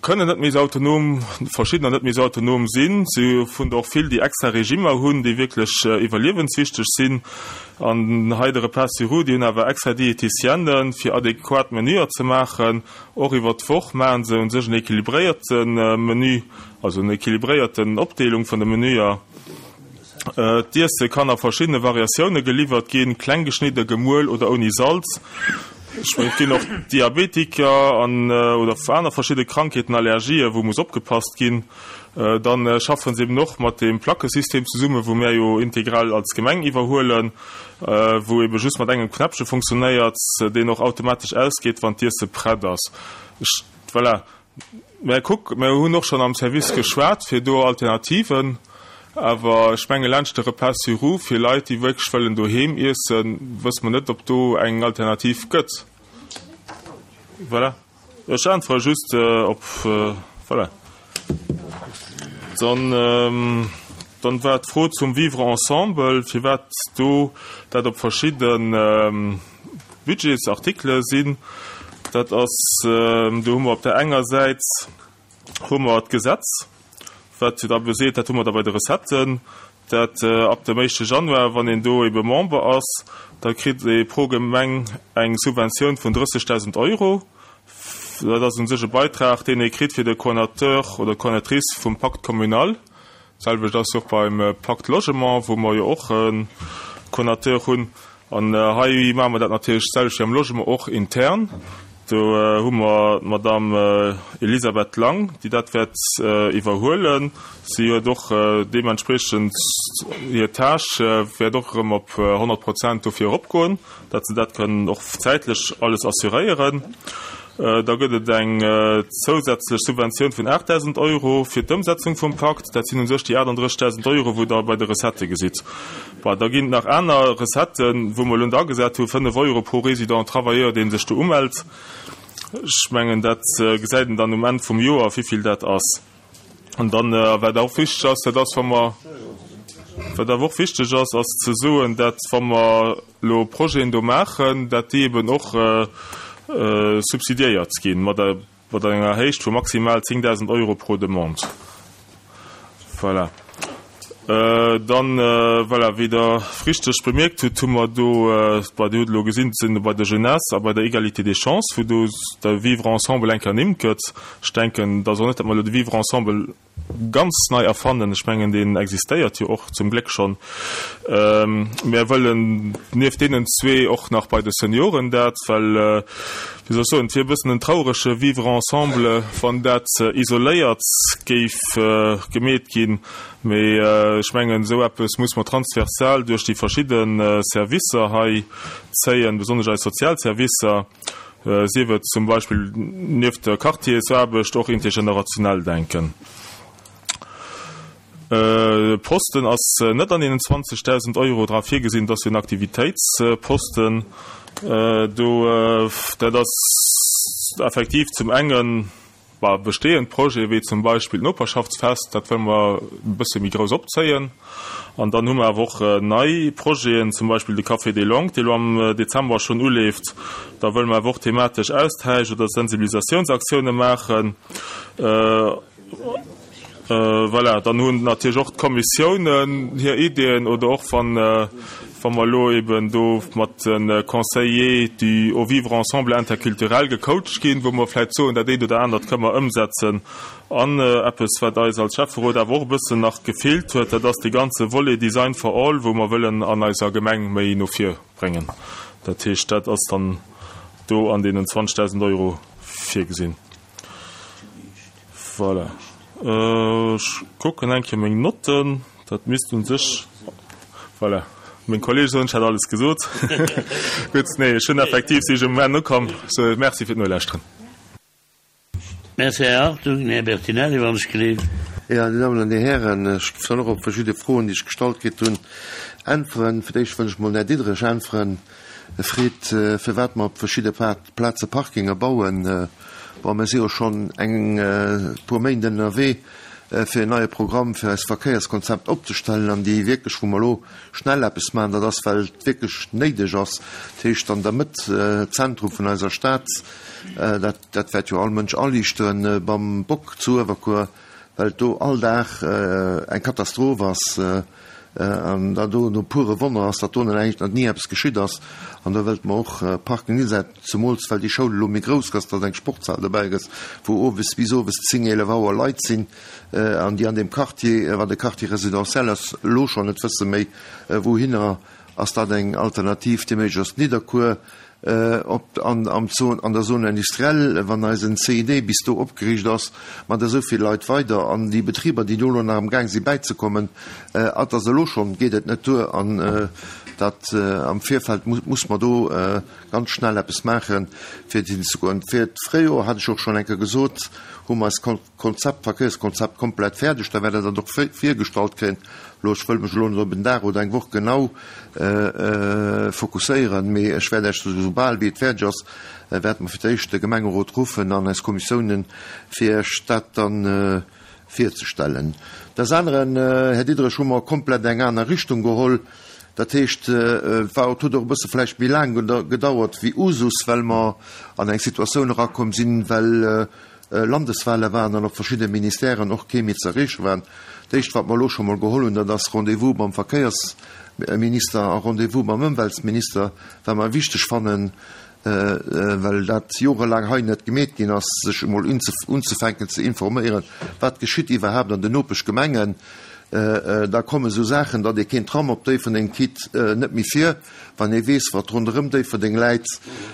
kënnen net méi esou autonom, verschiddener net méi esou autonom sinn. Si hunn der och vill, déi extra Regimmer hunn, déi wierklech iwwerliewenswichteg sinn. An hei de Repas sur roues, déi hunn awer extra Diéticienne fir adequat Menüer ze maachen. Och iwwert d'Woch maache se u sech en équilibréierte Menü, also en équilibréierten Opdeelung vun de Menüer. D'Iesse kann a verschiddene Variatioune geliwwert ginn, kleng geschnidde, gemuel oder ouni Salz. Ech mengen, et ginn och Diabetiker an oder aner verschidde Krankheeten, Allergien, wou muss opgepasst ginn. Dann schaffen se eben och mat deem Plackesystem zesummen, wou mär jo integral als Gemeng iwwerhuelen, wou ebe just mat engem Knäppche funktionéiert, deen och automatesch ausgeet, wann d'Iesse prett ass. Ech, voilà. Mä kuck, mir hunn och schonn am Service geschwat fir do Alternativen, awer ech menge laanscht de Repas sur roues fir Leit, déi wierklech wëllen doheem iessen, wësse mer net, ob do eng Alternativ gëtt. Voilà. Ech äntwere just op, voilà. Dann, dann war d'Fro zum Vivre ensemble, firwat do dat op verschidde Budgetsartikele sinn. Dat ass, do hu mer op där enger Säit hu mer d'Gesetz, wat jo da beseet, dat hu mer da bei de Recetten, dat ab dem éischte Januar, wann een do ebe Member ass, da kritt ee pro Gemeng eng Subventioun vun drëssegdausend Euro. Dat ass u sech e Beitrag, deen ee kritt fir de Coordinateur oder d'Coordinatrice vum Pacte communal. D'selwecht ass jo och beim Pacte Logement, wou mer jo och e Coordinateur hunn. An hei maache mer dat natierlech d'selwecht wéi am Logement och intern. Do hu mer d'Madame Elisabeth Lang, déi dat wäert iwwerhuelen. Si huet och deementspriechend hir Tâche wäert och erëm op honnert Prozent dofir eropgoen, datt se dat kënnen och zäitlech alles assuréieren. Da gëtt et eng zousätzlech Subventioun vun aachtdausend Euro fir d'Ëmsetzung vum Pakt. Dat sinn u sech déi aachtanddrëssigdausend Euro, wou Der bei de Recettë gesitt. Bon, da ginn et nach aner Recetten, wou mer elo net agesat hu fënnef Euro pro Résident travailleur, dee sech do umellt. Ech mengen, dat gesäit een dann um Enn vum Joer, wivill dat ass. An dann, wat och wichteg ass, dat ass, wa mer, wat awer och wichteg ass, ass ze soen, dat wa mer elo Projeten do maachen, dat déi eben och subsidiéiert ginn mat mat enger Héicht vu maximal zéngdausend Euro pro Demande. Voilà. Dann, voilà, wéi Der richteg bemierkt hutt, hu mer do, bon, Dir hutt elo gesinn, sinn bei der Jeunesse a bei der Égalité des chances, wou do de Vivre ensemble eng Kéier ernimmt gëtt. Ech denken, et ass och net, datt mer elo de Vivre ensemble ganz nei erfannen. Ech mengen, deen existéiert jo och zum Gléck schonn. Mir wëllen nieft deenen zwee och nach bei de Senioren dat, well, wéi soll ech soen, et wier e bëssen en traurege Vivre ensemble, wann dat isoléiert géif gemeet ginn. Mee ech mengen, esou eppes muss mer transversal duerch déi verschidde Servicer hei zéien, besonnesch eis Sozialservicer, sief et zum Beispill nieft der Quartiersaarbecht och intergenerationell denken. De Posten ass net an deenen zwanzegdausend Euro dra virgesinn, et ass jo en Aktivitéitsposten do. Dat ass effektiv zum engen bestehend Projete wéi zum Beispill d'Noperschaftsfest, dat wëlle mer e bësse méi grouss opzéien. An dann hu mer awer och nei Projeten, zum Beispill de Café des Langues, dee lo am Dezember schonn uleeft. Da wëlle mer awer och thematesch Austausch oder Sensibilisatiounsaktioune maachen. Voilà, dann hunn natierlech och d'Kommissiounen hir Ideeën oder och wann, wa mer elo eben do mat de Conseillers du au vivre ensemble interculturel gecoacht ginn, wou mer vläicht soen, dat eent oder anert kënne mer ëmsetzen. An eppes, wat eis als Schäfferot awer och e bëssen nach gefeelt huet, dat ass dee ganze Volet Design for all, wou mer wëllen an eiser Gemeng méi no vir bréngen. Dat heescht, dat ass dann do an deenen zwanzegdausend Euro virgesinn. Voilà. Ech kucken eng Kéier meng Notten. Dat misst u sech, voilà, meng Kollege soen, ech hätt alles gesot. Gutt, nee, ech hunn effektiv, si ech um Enn ukomm. Sou, merci fir d'Nolauschteren. Merci, Här Hartung. Här Bertinelli, wann ech gleef. Jo, Dir Dammen an Dir Hären, ech géif dann och op verschidde Froen, déi ech gestallt kritt hunn, äntweren. Fir d'éischt wëll ech mol den Här Diderich äntweren. E freet, firwat mer op verschidde Plaze Parkinge bauen. Bon, mir si jo schonn eng puer Méint ënnerwee, fir en neie Programm fir eist Verkéierskonzept opzestellen. An déi wierklech, wou mer elo schnell eppes maachen, dat ass, well et wierklech néideg ass, dat heescht an der Mëtt, Zentrum vun eiser Stad, dat, dat wäert jo all Mënsch aliichteren, beim Bock zu Uewerkuer, well et do all Dag eng Katastroph ass. An dat do no pure Wonner ass, datt do nach eigentlech nach ni eppes geschitt ass. An do wëllt mer och Parking Lisette, zemools well déi Schoul elo méi grouss gëtt, datt eng Sportshal dobäi gëtt, wou owes bis owes zéng, eelef Auer Leit sinn an déi an deem Quartier, wat e Quartier résidentiel ass, elo schonn net wësse méi wouhinner. Ass dat eng Alternativ, déi méiglech ass? Nidderkuer op an am Zone, an der Zone industrielle, wann eisen C I D bis do opgeriicht ass, mat esou vill Leit weider an déi Betriber, déi do elo nach am Gaang si bäizekommen, et ass elo schonn, geet et net duer an dat am Virfeld muss mer do ganz schnell eppes maachen, fir hinzegoen. Fir d'Fréijoer, hat ech och schonn eng Kéier gesot, hu mer eist Konzept, Verkéierskonzept komplett fäerdeg, da wäert Der dat och virgestallt kréien. Elo, ech wëll mech elo net op en Dag oder eng Woch genau fokusséieren, mee ech wäert Iech, soubal wéi et fäerdeg ass, wäerte mer fir d'éischt de Gemengerot ruffen an eis Kommissiounen, fir Iech dat dann virzestellen. Des aneren, Här Diderich, hu mer komplett eng aner Richtung geholl. Dat heescht, et war, et huet och e bësse vläicht méi laang gedauert wéi Usus, well mer an eng Situatioun erakomm sinn, well Landeswahle waren an op verschidde Ministèren och kee méi ze erreeche waren. D'éischt, wat mer elo scho mol geholl hunn, dat ass Rendez-vous mam Verkéiersminister a Rendez-vous mam Ëmweltsminister, wat mer wichteg fannen, well dat jorelaang hei net gemeet ginn ass, sech emol unzefänken ze informéieren, wat geschitt iwwerhaapt an den Nopeschgemengen. Da komme sou Saachen, datt ee keen Tram op Déifferdeng kritt, net méi vir, wann ee weess, wat ronderëm Déifferdeng läit.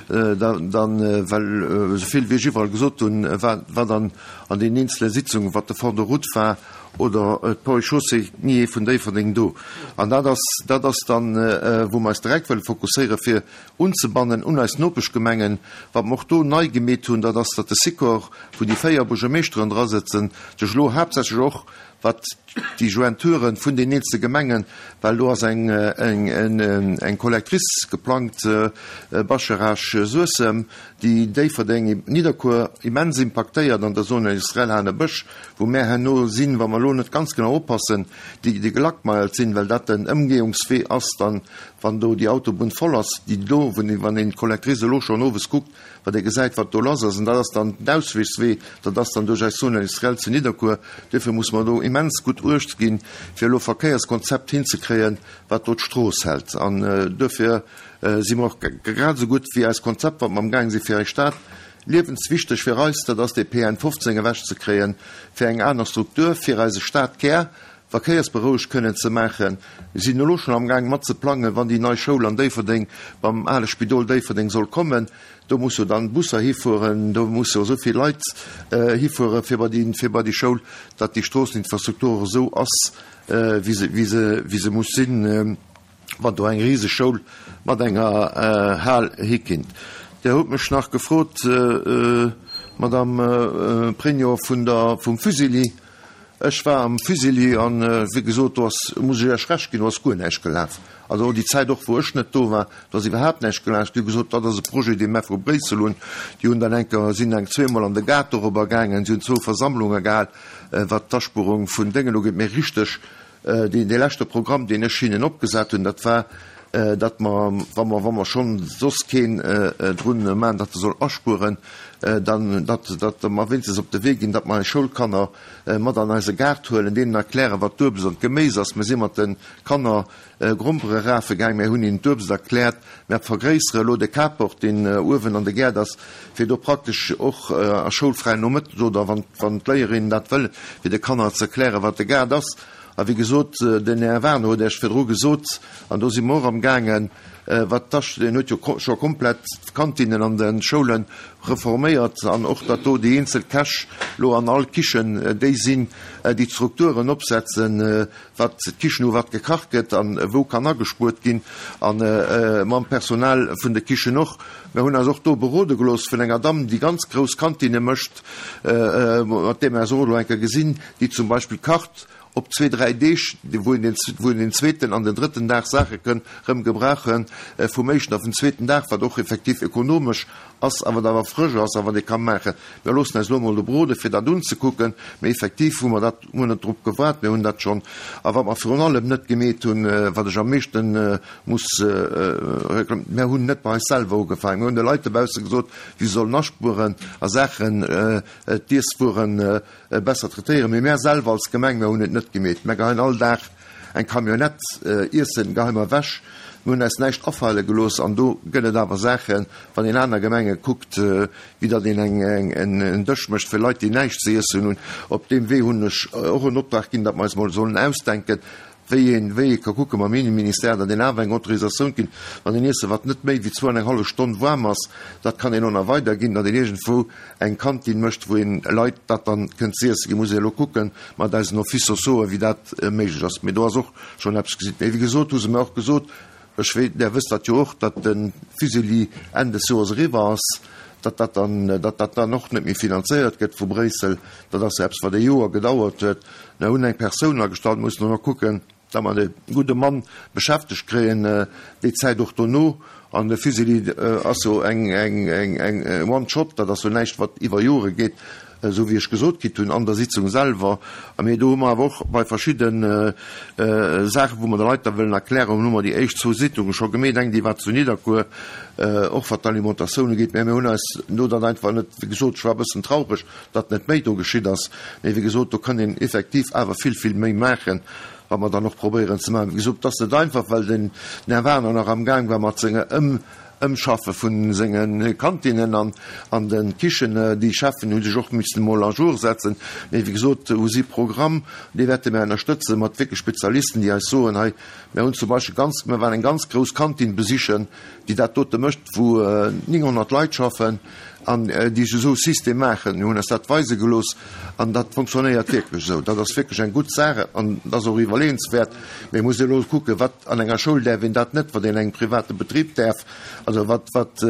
Dann, well esou vill wéi ech iwwerall gesot hunn, wat an an deenen eenzele Sitzungen, wat de Fonds de route war oder d'Ponts et Chaussées, ni ee vun Déifferdeng do. An dat ass, dat ass dann, wou mer eis direkt wëlle fokusséieren, fir unzebannen un eis Nopeschgemengen. Wat mer och do nei gemeet hunn, dat ass, datt de Sikor, wou déi véier Buergermeeschteren drasëtzen, sech elo haaptsächlech och wat déi Jointuren vun den eenzele Gemengen, well do ass eng, eng, eng, eng Collectrice geplangt, Bascharage-Suessem, déi Déifferdeng, Nidderkuer immens impaktéiert an der Zone industrielle Hanebësch, wou mär herno sinn, wa mer elo net ganz genau oppassen, déi, déi gelackmeiert sinn, well dat den Ëmgehungswee ass dann, wann do déi Autobunn voll ass, déi do, wann een d'Collectrice elo schonn owes kuckt, wat ee gesäit, wat do lass ass, an dat ass dann den Ausweechswee, dat ass dann duerch eis Zone industrielle zu Nidderkuer. Duerfir muss mer do immens gutt Uecht ginn, fir elo e Verkéierskonzept hinzekréien, wat do d'Strooss hält. An duerfir si mer och grad esou gutt wéi eist Konzept, wat mer amgaang si fir eis Stad, liewenswichteg fir eis, dat ass dee P N fofzéng ewechzekréien, fir eng aner Struktur fir eise Stadkär verkéiersberouegt kënnen ze maachen. Mir sinn elo schonn amgaang mat ze plangen, wann déi nei Schoul an Déifferdeng beim ale Spidol Déifferdeng soll kommen. Do muss jo dann Busser hifueren, do musse jo esou vill Leit hifuere fir bei déi, fir bei déi Schoul, datt déi Stroosseninfrastruktur och esou ass, wéi se, wéi se, wéi se muss sinn, wann do eng riseg Schoul mat enger Hal hikinnt. Dir hutt mech nach gefrot, Madame Pregno, vun der, vum Fusilli. Ech war am Fusilli an, wéi gesot, do ass, muss ech Iech Recht ginn, do ass guer näischt gelaf. Also déi Zäit och, wou ech net do war, do ass iwwerhaapt näischt gelaf. Déi hu gesot, dat ass e Projet, dee mer vu Bréissel hunn. Déi hunn dann eng Kéier, sinn eng zweemol an de Gaart dorobber gaangen, si hunn zwou Versammlunge gehal, wat d'Aspuerung vun Déngen ugeet. Mee richteg, dee, dee leschte Programm, deen ech hinnen opgesat hunn, dat war, datt mer, wa mer, wa mer schonn soss keen drun maachen, datt e soll aspueren, dann, datt, datt mer wéinstens op de Wee ginn, datt mer eis Schoulkanner mat an eise Gaart huelen, deenen erklären, wat d'Uebst an d'Geméis ass. Mir si mat de Kanner Grompere rafe gaang, mir hunn hinnen d'Uebst erkläert. Mir vergréissere elo de Carport, deen uewen an de Gäert ass, fir do praktesch och a schoulfräien Nomëtten oder wann, wann d'Léierinnen dat wëllen, fir de Kanner ze erklären, wat de Gaart ass. A wéi gesot, den Här Werner huet Iech virdru gesot, an do si mer och amgaangen, wat d'Asch, deen huet jo scho komplett d'Kantinen an de Schoule reforméiert, an och datt do déi eenzel Käch lo an all Kichen déi sinn, déi d'Strukturen opsetzen, wat d'Kichen u wat gekacht gëtt an wou kann agespuert ginn, a mam Personal vun de Kichen och. Mir hunn eis och do berode gelooss vun enger Damm, déi ganz grouss Kantine mécht, mat där mir eis och elo eng Kéier gesinn, déi zum Beispill kacht op zwee, dräi Deeg, wou een den, wou een den zweeten an den drëtten Dag Saache kënn rëm gebrauchen, vum éischten a vum zweeten Dag, wat och effektiv ökonomesch ass, a wat awer frësch ass a wat ee ka maachen. Mir loossen eis elo mol do berode fir dat unzekucken, mee effektiv hu mer dat, hu mer net drop gewaart, mir hunn dat schonn. A wat mer virun allem net gemeet hunn, wat ech am meeschten muss reklamieren, mir hunn net bei eis selwer ugefaangen. Mir hunn de Leit dobausse gesot, si sollen aspueren a Saachen, d'Iesswueren besser traitéieren. Mee mir selwer als Gemeng, mir hunn et net gemeet. Mir geheien all Dag eng Camionnette Iessen, geheien mer ewech. Mir hunn eis näischt afale gelooss, an do gëtt et awer Saachen, wann een aner Gemenge kuckt, wéi datt een eng, eng, en, en Dësch mécht fir Leit, déi näischt ze iessen hunn. Op deem Wee hunn ech och en Optrag ginn, datt mer eis mol sollen ausdenken, wéi een, wéi ee ka kucke mam Innenministère, datt een awer eng Autorisatioun ginn, wann een Iessen, wat net méi wéi zwou an eng hallef Stonn waarm ass, dat kann een och nach weiderginn, datt een iergendwou eng Kantine mécht, wou een Leit dat dann kënnt ze iessen ginn. Muss ee elo kucken mat eisen Office sociaux, wéi dat méiglech ass. Mee do ass och schonn eppes gesinn. Mee wéi gesot, hu se mir och gesot, ech wee, der wësst dat jo och, datt de Fusilli Enn des Joers eriwwer ass, datt dat dann, datt dat dann och net méi finanzéiert gëtt vu Bréissel. Dat ass eppes, wat e Joer gedauert huet. Mir hunn eng Persoun agestallt, mussen och kucken, datt mer de gudde Mann beschäftegt kréien, déi Zäit och dono. An de Fusilli ass jo eng, eng, eng, eng One-Shot, dat ass jo näischt, wat iwwer Jore geet, esou wéi ech gesot kritt hunn an der Sitzung selwer. A mir do hu mer awer och bei verschidden Saachen, wou mer de Leit da wëllen erklären, hu mer déi éischt zwou Sitzungen scho gemeet, eng déi war zu Nidderkuer, och wat d'Alimentatioun ugeet. Mä mir hunn eis no dat einfach net, wéi gesot, ech war e bëssen traureg, datt net méi do geschitt ass. Mee wéi gesot, do kann een effektiv awer vill, vill méi maachen, wat mer dann och probéieren ze maachen. Wéi gesot, dat ass net einfach, well den Här Werner nach am Gang war mat senger Ëm-, Ëmschaffe vun senge Kantinen an, an den Kichen. Déi Cheffen hu sech och missen mol à jour setzen. Mee wéi gesot, hu si Programm, dee wäerte mir ënnerstëtzen mat wierklech Spezialisten, déi eis soen, hei, mir hunn zum Beispill ganz, mir waren eng ganz grouss Kantine besichen, déi dat dote mécht, wou neunhundert Leit schaffen an déi esou System maachen. Mir hunn eis dat weise gelooss an dat funktionéiert wierklech esou. Dat ass wierklech eng gutt Sache an dat ass och iwwerleeënswäert. Mee muss elo kucken, wat an enger Schoul däerf een dat net, wat een engem private Betrib däerf. Also wat, wat,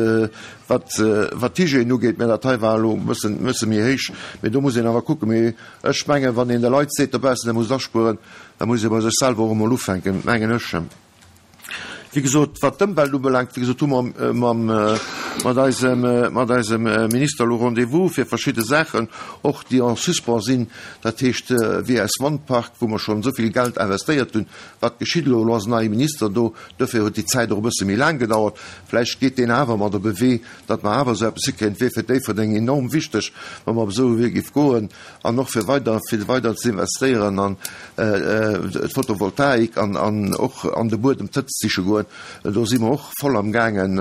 wat, wat d'Hygiène ugeet, mä dat hei war elo e bëssen, bësse méi héich. Mee do muss een awer kucken. Mee ech mengen, wann een de Leit seet dobaussen, der musst aspueren, da muss ee bei sech selwer och emol ufänken, mengen ech. Wéi gesot, wat d'Ëmwelt ubelaangt, wéi gesot, hu mer mam, mat eisem, mat eisem Minister elo Rendez-vous fir verschidde Saachen, och déi en suspens sinn, dat heescht wéi eis Wandpark, wou mer schonn esou vill Geld investéiert hunn. Wat geschitt elo? Elo ass en neie Minister do, dofir huet déi Zäit och e bësse méi laang gedauert. Vläicht geet deen awer mat op e Wee, datt mer awer esou eppes hikréien. Et wier fir Déifferdeng enorm wichteg, wa mer op esou e Wee géif goen an och fir weider, fir weider ze investéieren an d'Photovoltaik an, an och an de Buedem d'Hëtzt siche goen. Do si mer och voll am gaangen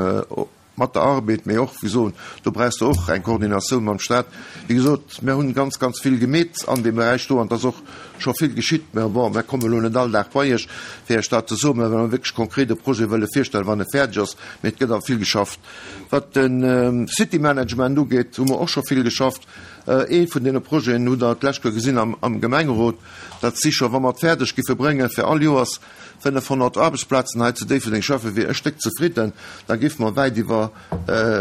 mat der Arbed, mee och, wéi soen, do brauchs de och eng Koordinatioun mam Staat. Wéi gesot, mir hunn ganz, ganz vill gemeet an deem Beräich do an et ass och scho vill geschitt. Mä bon, mir kommen elo net all Dag bei Iech, fir Iech dat ze soen, mä wa mer wierklech konkret e Projet wëlle virstellen, wann e fäerdeg ass. Mee et gëtt awer vill geschafft. Wat de City Management ugeet, hu mer och scho vill geschafft. Ee vun deene Projeten hutt Der d'lescht Kéier gesinn am Gemengerot, dat si scho, wa mer et fäerdeg giffe bréngen, fir all Joers fënnefhonnert Aarbechtsplazen hei zu Déifferdeng schaffen, wier ech déck zefridden. Da giffe mer wäit iwwer,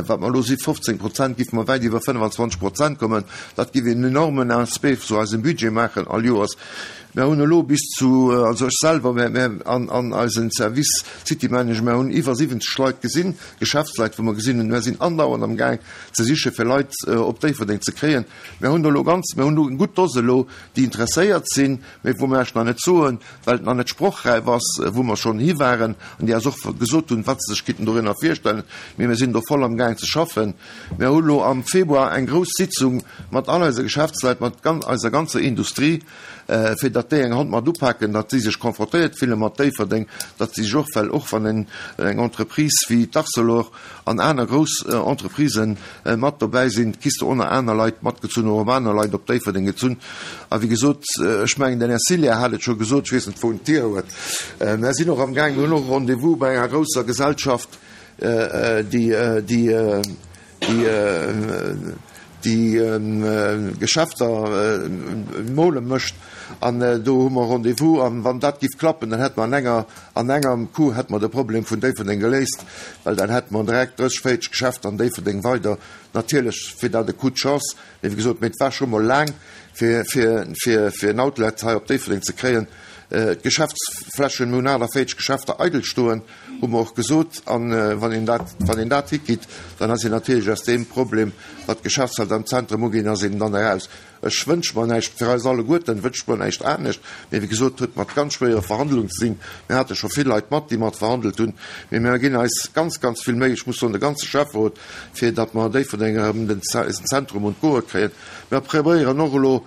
wat mer elo si fofzéng Prozent, giffe mer wäit iwwer fënnefenzwanzeg Prozent kommen. Dat giff een enormen Aspect zu eisem Budget maachen all Joers. Mer hunn elo bis zu, also ech selwer, mä, mä an, an eisen Service City Manager, mer hunn iwwer siwwenzeg Leit gesinn, Geschäftsleit, wou mer gesinn hunn, mer sinn andauernd am Gaang ze siche fir Leit op Déifferdeng ze kréien. Mer hunn elo ganz, mer hunn elo eng gutt Dose elo, déi interesséiert sinn, mä wou mer esch nach net soen, well et nach net sprochräif ass, wou mer schonn hi waren an déi eis och gesot hunn, wat se sech kinnten dorinner virstellen. Mee mir sinn do voll am Gaang ze schaffen. Mer hu lo am Februar eng grouss Sitzung mat all eise Geschäftsleit, mat eiser ganzer Industrie, fir datt déi eng Hand mat upaken, datt si sech confrontéiert fille mat Déifferdeng, datt si sech och, well och wann eng Entreprise wéi d'Arcelor an aner grouss Entreprisen mat dobäi sinn, kriss de och nach aner Leit matgezunn oder op aner Leit op Déifferdeng gezunn. A wéi gesot, ech mengen, den Här Cillien hat et scho gesot, ech weess net, wou en d'hier huet, mer sinn och amgaang, mir hunn och e Rendez-vous bei enger grousser Gesellschaft, déi, déi, déi, déi Geschäfter mole mécht, an do hu mer Rendez-vous, an wann dat giff klappen, dann hätte mer an enger, an engem Coup hätte mer de Problem vun Déifferdeng geléist, well dann hätte mer direkt drësseg, véierzeg Geschäfter an Déifferdeng weider. Natierlech wier dat e Coup de chance, mee wéi gesot, mee et war scho mol laang, fir, fir, fir, fir en Outlet hei op Déifferdeng ze kréien. D'Geschäftsflächen, mir hunn aachtavéierzeg Geschäfter eidel stoen, hu mer och gesot. A wann een dat, wann een dat hikritt, dann ass een natierlech aus deem Problem, wat d'Geschäftswelt am Zentrum ugeet, ass een dann eraus. Ech wënsche mer näischt, fir eis alleguerten wënscht mer näischt anescht, mee wéi gesot, huet mat ganz schwéiere Verhandlungen ze sinn. Mir hate scho vill Leit mat, déi mat verhandelt hunn, mee mir ginn eis ganz, ganz vill Méi, ech muss soen, de ganze Schäfferot, fir datt mer Déifferdeng erëm den, eisen Zentrum un d'Goe kréien. Mir probéieren och elo,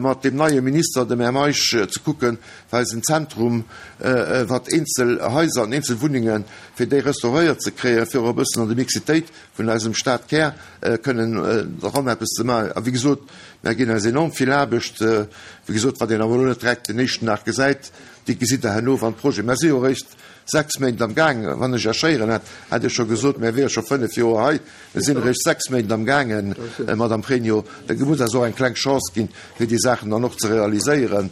mat deem neie Minister, dem Här Meisch, ze kucken, fir eisen Zentrum, wat eenzel Haiser an eenzel Wunnengen, fir déi restauréiert ze kréien, fir och e bëssen an de Mixitéit vun eisem Stadkär kënnen eran eppes ze maachen. A wéi gesot, mir ginn eis enorm vill Aarbecht, wéi gesot, wat een awer elo net direkt den éischten Dag gesäit, déi gesitt Der herno, wann d'Projet, mer si jo eréischt sechs Méint am Gaang, wann ech Iech héieren hätt, hätt Dir scho gesot, mir wiere scho fënnef Joer hei. Mir sinn eréischt sechs Méint am gaangen, Madame Pregno. Da muss eis och eng kleng Chance ginn, fir déi Saachen dann och ze realiséieren,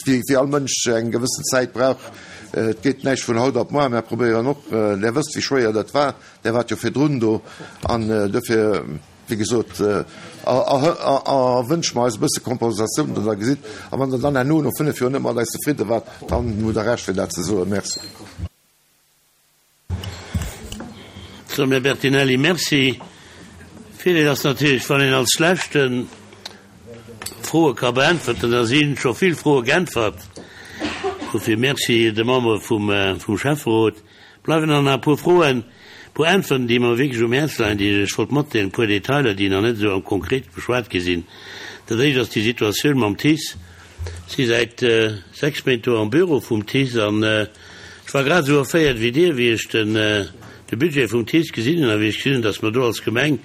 wéi all Mënsch eng gewëssen Zäit brauch. Et geet näischt vun haut op muer. Mir probéieren och, Där wësst, wéi schwéier dat war, Där waart jo virdrun do, an dofir, Wéi gesot, erwënsche mer eis e bësse Kompensatioun, datt Der gesitt. A wann Der dann herno no fënnef Joer net mat eis zefridde waart, dann hutt Der Recht, fir dat ze soen. Merci. Sou, Här Bertinelli, Merci. Virdeel ass natierlech, wann een als Leschte Froe ka beäntwerten, da si scho vill Froe geäntwert. Dofir Merci de Membere vum Schäfferot. Bleiwen dann nach e puer Froen, e puer Äntwerten, déi mer wierklech um Häerz leien, déi ech lech wollt matdeelen, e puer Detailer, déi nach net esou am konkret beschwat gi sinn. Dat éischt ass déi Situatioun mam TICE. Ech si säit sechs Méint do am Büro vum TICE an ech war grad esou erféiert wéi Dir, wéi ech den de Budget vum TICE gesinn hunn a wéi ech gesinn hunn, datt mer do als Gemeng,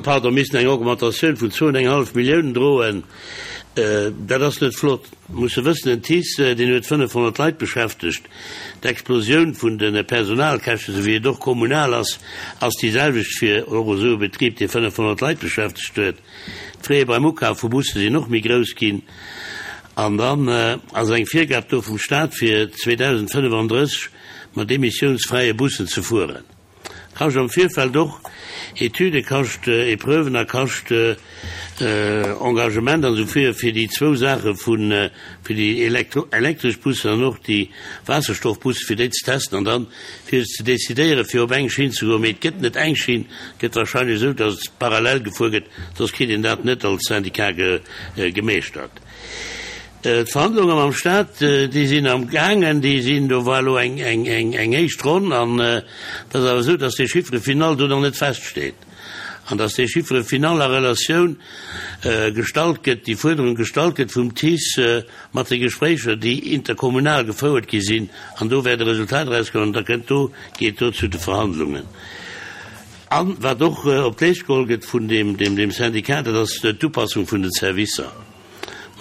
pardon, missen eng Augmentatioun vun zwou an eng hallef Milliounen droen. Dat ass net flott. Musse wëssen, den TICE, deen huet fënnefhonnert Leit beschäftegt. D'Explosioun vun de Personalkäschten, esou wéi et och kommunal ass, ass déi selwecht fir och esou e Betrib, dee fënnefhonnert Leit beschäftegt huet. D'Fraie beim Ukaf vu Busse sinn och méi grouss ginn. An dann ass eng Virgab do vum Stat fir zweedausendfënnefandrësseg mat emissiounsfräie Bussen ze fueren. Kascht am Virfeld och Etüde, kascht Epreuven a kascht Engagement an esou fir fir déi zwou Saache vun fir déi elektresch Bussen an och déi Waasserstoffbussen, fir déi ze testen an dann fir ze decidéieren, fir op eng Schinn ze goen. Mee et gëtt net eng Schinn, et gëtt wahrscheinlech esou, datt et parallel gefuer gëtt, soss kritt een dat net als Syndicat gemeeschtert. D'Verhandlunge mam Stat, déi sinn am gaangen, déi sinn, do war elo eng eng éischt Ronn an et ass awer esou, datt dee Chiffre final do nach net feststeet an datt dee Chiffre final a Relatioun gestallt gëtt, déi Fuerderung gestallt gëtt vum TICE mat de Gespréicher, déi interkommunal gefouert gi sinn an do wäert e Resultat erauskommen an da kënnt do, geet do zu de Verhandlungen. An wat och op d'Leescht geholl gëtt vun deem Syndicat, dat ass d'Upassung vun den Servicer.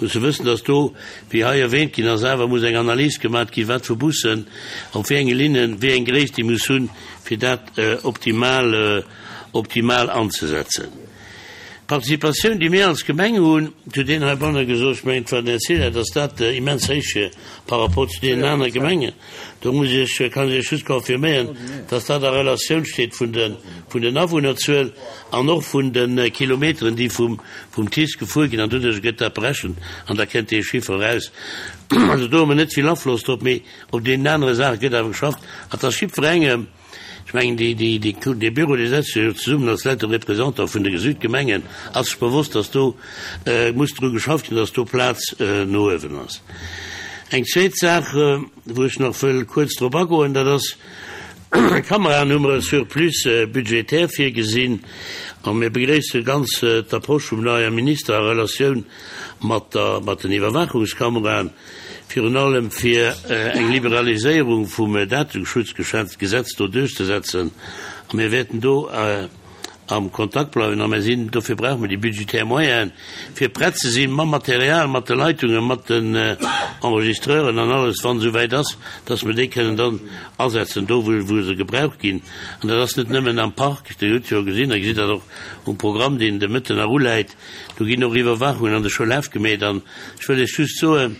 Musse wëssen, dass do, wéi hei erwähnt ginn ass, awer muss eng Analys gemaat ginn, wat fir Bussen op wéi enge Linnen, wéi eng Gréisst déi muss hunn, fir dat optimal, optimal anzesetzen. D'Participatioun, déi mir als Gemeng hunn, et huet een heibanne gesot, ech mengen, et war den Här Sela, dass dat immens héich wier par rapport zu deenen anere Gemengen. Do muss ech, kann ech Iech just confirméieren, dass dat a Relatioun steet vun de, vun den Awunnerzuel an och vun de Kilometeren, déi vum, vum TICE gefuer ginn, an doduerch gëtt dat berechent an da kënnt dee Chiffer eraus. Also do hu mer net vill Afloss drop, mee op deenen anere Saache gëtt awer geschafft. An et ass jiddwerengem, ech mengen, déi, déi, déi, dee Büro, dee setzt sech jo zesummen als lauter Représentant vun de Südgemengen, ass sech bewosst, dass do muss dru geschafft ginn, dass do Plaz no uewen ass. Eng zweet Saach, wou ech nach wëll kuerz drop agoen, dat ass, Kameraen hu mer e Surplus budgétaire virgesinn a mir begréisse ganz d'Approche vum neie Minister a Relatioun mat der, mat den Iwwerwaachungskameraen, virun allem fir eng Liberaliséierung vum Dateschutzgesetz do duerchzesetzen. A mir wäerten do am Kontakt bleiwen a mir sinn, dofir brauche mer déi budgetär Moyenen, fir prett ze si mam Material, mat de Leitungen, mat den Enregistreuren an alles, wann et esouwäit ass, dass mer déi kënnen dann asetzen do, wou se gebraucht ginn. An dat ass net nëmmen am Park, Dir hutt jo gesinn, a gesitt dat och um Programm, deen de Mëtten nach uläit, do ginn och Iwwerwaachungen an de Schoulhäff gemeet. An ech wëll Iech just soen,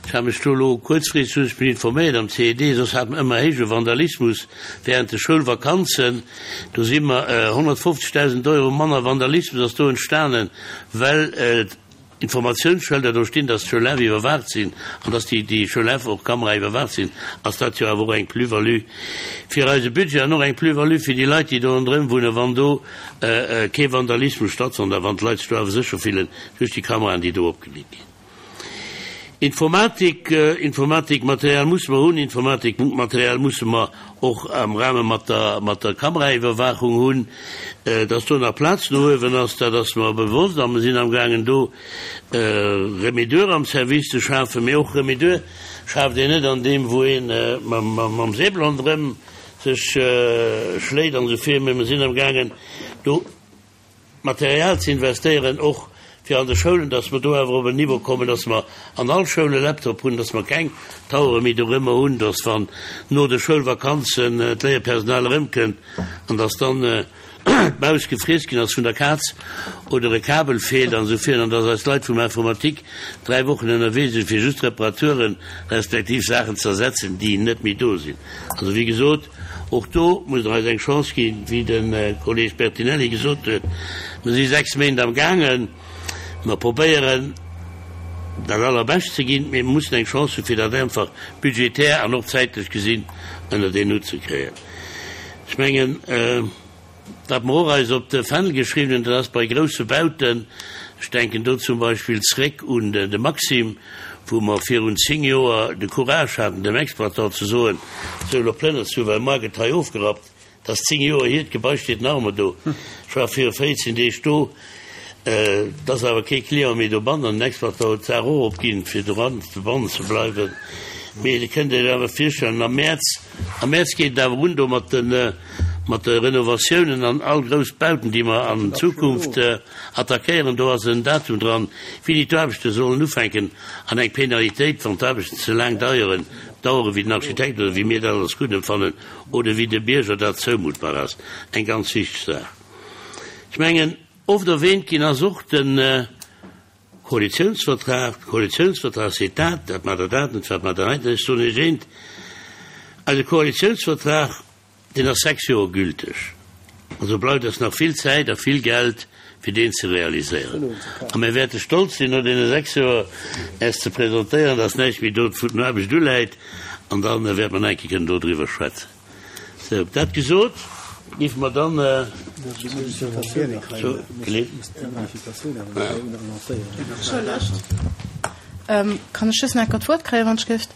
Ech hat mech do elo kuerzfristeg ech bin informéiert am C E D, soss hat mer ëmmer héije Vandalismus während de Schoulvakanzen. Do si mer honnertfofzegdausend Euro manner Vandalismus ass do entstanen, well d'Informatiounsschëlder do stinn, dass d'Schoulhäff iwwerwaacht sinn an dass déi déi Schoulhäff och Kamera iwwerwaacht sinn, ass dat jo awer och eng Plus-value fir eise Budget an och eng Plus-value fir déi Leit, déi do ronderëm wunnen, wann do kee Vandalismus stattfënnt a wann d'Leit sech do awer sécher fillen duerch déi Kameraen, déi do opgeleet ginn. Informatik, Informatikmaterial musse mer hunn, Informatikmaterial musse mer och am Rahme mat der, mat der Kameraiwwerwaachung hunn. Dass do nach Plaz no uewen ass, dat ass mer bewosst a mer sinn amgaangen do Remedur am Service ze schafen. Mee och Remedur schaaft een net an deem wou ee mam Säbel ronderëm sech schléit an esou vir, mee mer sinn amgaangen do Material ze investéieren, och fir an de Schoulen, dass mer do awer op en Niveau kommen, dass mer an all Schoul e Laptop hunn, dass mer keng Tauere méi dorëmmer hunn, dass wann no de Schoulvakanzen d'Léierpersonal erëmkënnt an dass dann d'Maus gefriess ginn ass vun der Kaz oder e Kabel feelt an esou virun an dass eis Leit vum Informatique dräi Wochen ënnerwee sinn, fir just Reparaturen respektiv Saachen ze ersetzen, déi net méi do sinn. Also wéi gesot, och do musst Der eis eng Chance ginn, wéi de Kolleeg Bertinelli gesot huet. Mer si sechs Méint am gaangen. Mer probéieren, dat Allerbescht ze ginn, mee mer mussen eng Chance hunn, fir dat einfach budgetär an och zäitlech gesinn ënnert een Hutt ze kréien. Ech mengen, wat mer och eis op de Fändel geschriwwen hunn, dat ass bei grousse Bauten, ech denken do zum Beispill zréck un de Maxim, wou mer virun zéng Joer de Courage haten, dem Exploitant ze soen, sou, elo plënners du, well mar gëtt hei ofgerappt. Dat ass zéng Joer hier, d'Gebai steet nach ëmmer do. Ech war viru véierzehn Deeg do, et ass awer kee Client méi dobannen an den Exploitant huet d'Saach och opginn, fir doran dobannen ze bleiwen. Mee Dir kënnt Iech awer virstellen, am Mäerz, am Mäerz geet et awer un do mat de, mat de Renovatiounen an all grouss Bauten, déi mer an Zukunft attackéieren, do ass en Datum dran, wéini d'Aarbechte sollen ufänken an eng Penalitéit, wann d'Aarbechten ze laang deieren, daueren, wéi den Architekt oder wéi mir dat als gutt empfannen oder wéi dem Bierger dat zoumuttbar ass. Eng ganz wichteg Saach. Ech mengen, oft erwähnt ginn ass och de Koalitionsvertrag. De Koalitionsvertrag seet dat, dat maacht Der dat net, wat maacht Der hei net. Ech soen Iech eent, Eise Koalitiounsvertrag, deen ass sechs Joer gülteg. Also bleift eis nach vill Zäit a vill Geld, fir deen ze realiséieren. A mir wäerte stolz sinn, no deene sechs Joer Äech ze presentéieren, dass näischt méi do vun der Aarbecht uläit, an da wäerte mer nach eng Kéier kënnen dodriwwer schwätzen. Sou, dat gesot, géife mer dann zur Kann ech just nach eng Kéier d'Wuert kréien, wann ech géif?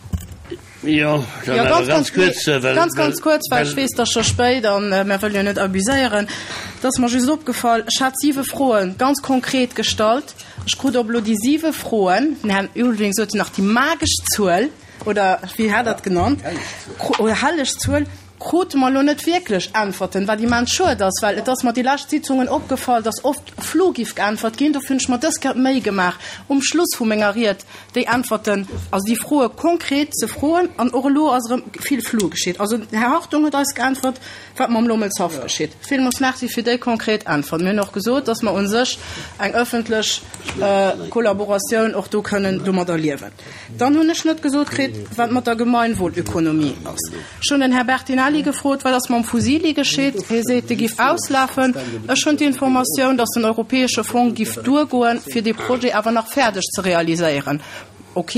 Jo, dann awer ganz kuerz, well. Ganz, ganz kuerz, well ech weess, et ass scho spéit a mer wëlle jo net abuséieren. Et ass mer just opgefall, ech hat siwe Froe ganz konkret gestallt. Ech krut op elo déi siwe Froen, den Här Ulveling sot jo nach déi magesch Zuel, oder wéi hat Der et genannt, oder helleg Zuel, krute mer elo net wierklech Äntwerten, wat immens schued ass, well et ass mer déi lescht Sitzungen opgefall, dass oft flou giff geäntwert ginn. Dofir hunn ech mer dës Kéier d'Méi gemaach, um Schluss vu menger Ried déi Äntwerten, also déi Froe konkret ze froen. An och elo ass erëm vill flou geschitt. Also den Här Hartung huet eis geäntwert, wat mam Lommelshaff geschitt. Villmools Merci fir déi konkret Äntwert. Mir hunn och gesot, dass mer u sech eng ëffentlech Kollaboratioun och do kënnen domadder liewen. Dann hunn ech net gesot kritt, wat mat der Gemeinwohlökonomie ass. Ech hunn den Här Bertinelli gefrot, wat ass mam Fusili geschitt. Hie seet, dee giff auslafen. Ech hunn d'Informatioun, dass den europäesche Fong giff duergoen, fir dee Projet awer nach fäerdeg ze realiséieren. Ok.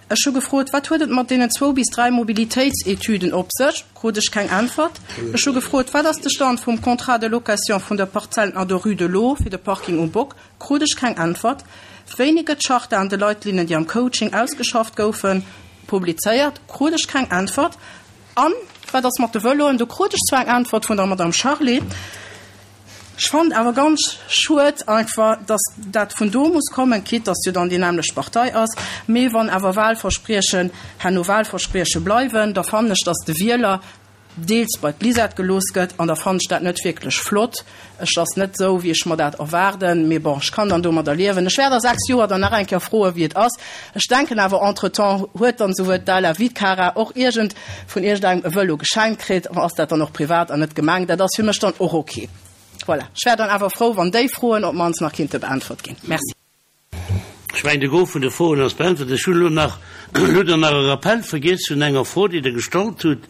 Ech hu gefrot, wat huet et mat deenen zwou bis dräi Mobilitéitsetüden op sech? Krut ech keng Äntwert. Ech hu gefrot, wat ass de Stand vum Contrat de location vun der Parzell an der Rue de l'Eau fir de Parking um Bock? Krut ech keng Äntwert. Wéini gëtt d'Charte an de Leitlinnen, déi am Coaching ausgeschafft goufen, publizéiert? Krut ech keng Äntwert. An wat ass mat de Vëloen? Do krut ech zwar eng Äntwert vun der Madame Charlé. Ech fannen awer ganz schued einfach, dass dat vun do muss kommen, quitte dass jo dann déi nämmlecht Partei ass. Mee wann awer Wahlverspriechen herno Wahlversprieche bleiwen, da fannen ech, dass de Wieler deels bei d'Lisette gelooss gëtt an da fannen ech dat net wierklech flott. Ech ass net esou, wéi ech mer dat erwaarden, mee bon, ech kann dann domadder liewen. Ech wäert a sechs Joer dann nach eng Kéier froen, wéi et ass. Ech denken awer, entretemps huet dann souwuel d'Ala wéi d'Cara och iergend vun iergendengem e Vëlo geschenkt kritt, ass dat dann och privat an net Gemeng. Dat ass fir mech dann och ok. Voilà. Ech wär dann awer frou, wann déi Froen op d'mannst nach kinnte beäntwert ginn. Merci. Ech mengen, de Gros vun de Froen ass beäntwert. Ech hunn elo nach, elo hutt Der nach e Rappel vergiess vun enger Fro, déi Der gestallt hutt,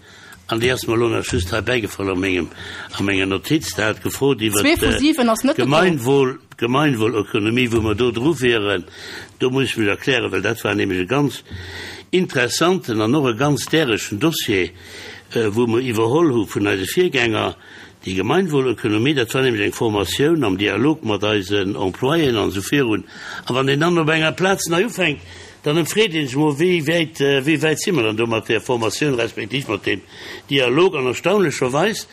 an déi ass mer elo nach just hei bäigefall a mengem, a menger Notiz. Der hat gefrot iwwert Zwee vu siwen ass net gekomm. d'Gemeinwohl, d'Gemeinwohlökonomie, wou mer do dru wieren. Do muss ech mech erklären, well dat war nämlech e ganz interessanten an och e ganz däregen Dossier, wou mer iwwerholl hu vun eise Virgänger. Déi Gemeinwohlökonomie, dat war nämlech eng Formatioun am Dialog mat eisen Employéen an esou virun. A wann een dann op enger Plaz nei ufänkt, dann ëmfreet ee sech emol, wéi wäit, wéi wäit si mer dann do mat där Formatioun respektiv mat deem Dialog. An erstaunlecherweis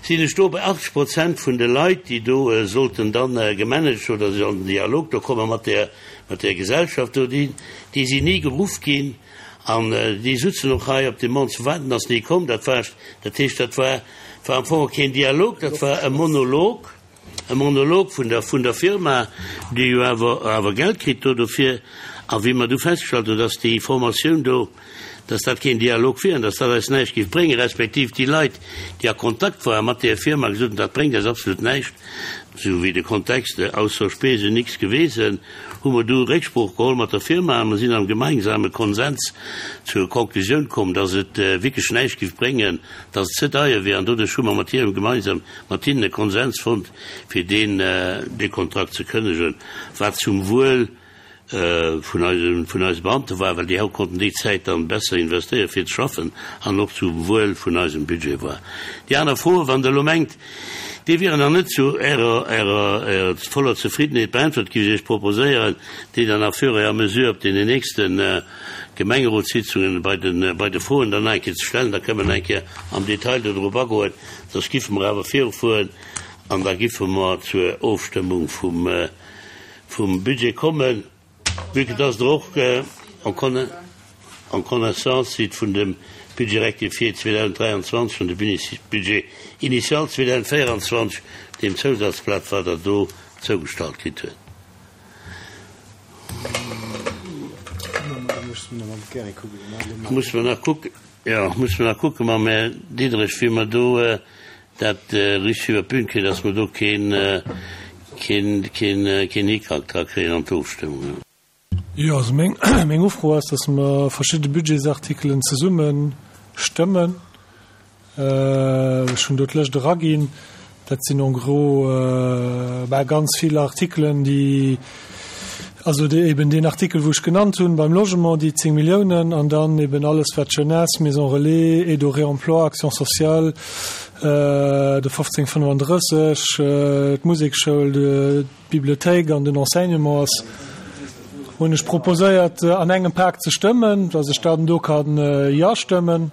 sinn ech do bei achtzeg Prozent vun de Leit, déi do sollten dann gemanagt oder sech an den Dialog do komme mat där, mat där Gesellschaft do, déi, déi sinn ni geruff ginn. An déi sutzen och hei op dem Mond ze waarden, ass ni komm. Dat war, dat heescht, dat war, war am Fong keen Dialog, dat war e Monolog, e Monolog vun der, vun der Firma, déi jo awer, awer Geld kritt do dofir. A wéi mer du festgestallt hunn, dass déi Formatioun do, dass dat keen Dialog wier an dass dat eis näischt géif bréngen, respektiv déi Leit, déi a Kontakt ware mat där Firma, gesot hunn, dat bréngt eis absolut näischt, sou wéi de Kontext, ausser Spesen nix gewesen, hu mer du Récksprooch geholl mat der Firma a mer sinn am gemeinsame Konsens zur Konklusioun komm, dass et wierklech näischt géif bréngen, dass et ze deier wier an doduerch hu mer mat hirem gemeinsam mat hinnen e Konsens fonnt, fir deen dee Kontrakt ze kënnegen, wat zum Wuel vun eise vun eise Beamte war, well déi hau konnten déi Zäit dann besser investéieren, fir ze schaffen, an och zum Wuel vun eisem Budget war. Déi aner Froen, wann Der elo mengt, déi wieren nach net zu Ärer Ärer Ärer voller Zefriddenheet beäntwert, géif ech Iech proposéieren, déi dann à fur et à mesure op deenen nächste Gemengerotssitzungen bei de bei de Froen dann nach eng Kéier ze stellen. Da kënnen mer nach eng Kéier am Detail dodrop agoen. Soss giffe mer awer virufueren an da giffe mer zur Ofstëmmung vum vum Budget kommen. Vue que dass Der och en connaissance sidd vun dem Budget rectifié zweedausenddräianzwanzeg an dem Budget initial zweedausenddvéieranzwanzeg, deem Zousazblat, wat Der do zougestallt kritt huet. Musse mer nach kucken, jo, musse mer nach kucke mam Här Diderich, wéi mer do dat richteg iwwer d'Bün kréien, dass mer do keen, keen, keen, keen Hickhack dra kréien an d'Ofstëmmung. Jo, also meng, meng Ufro ass, dass mer verschidde Budgetsartikelen zesumme stëmmen. Ech hunn do d'Lëscht eraginn. Dat sinn en gros bah ganz vill Artikelen, déi, also déi eben deen Artikel, wou ech genannt hunn beim Logement, déi zéng Milliounen, an dann eben alles wat Jeunesse, Maison relais, Aide au réemploi, Action sociale, de fofzéng fënnefandrësseg, d'Musekschoul, d'Bibliothéik an den Enseignement ass, hunn ech proposéiert an engem Pak ze stëmmen, dass ech dann do kann Jo stëmmen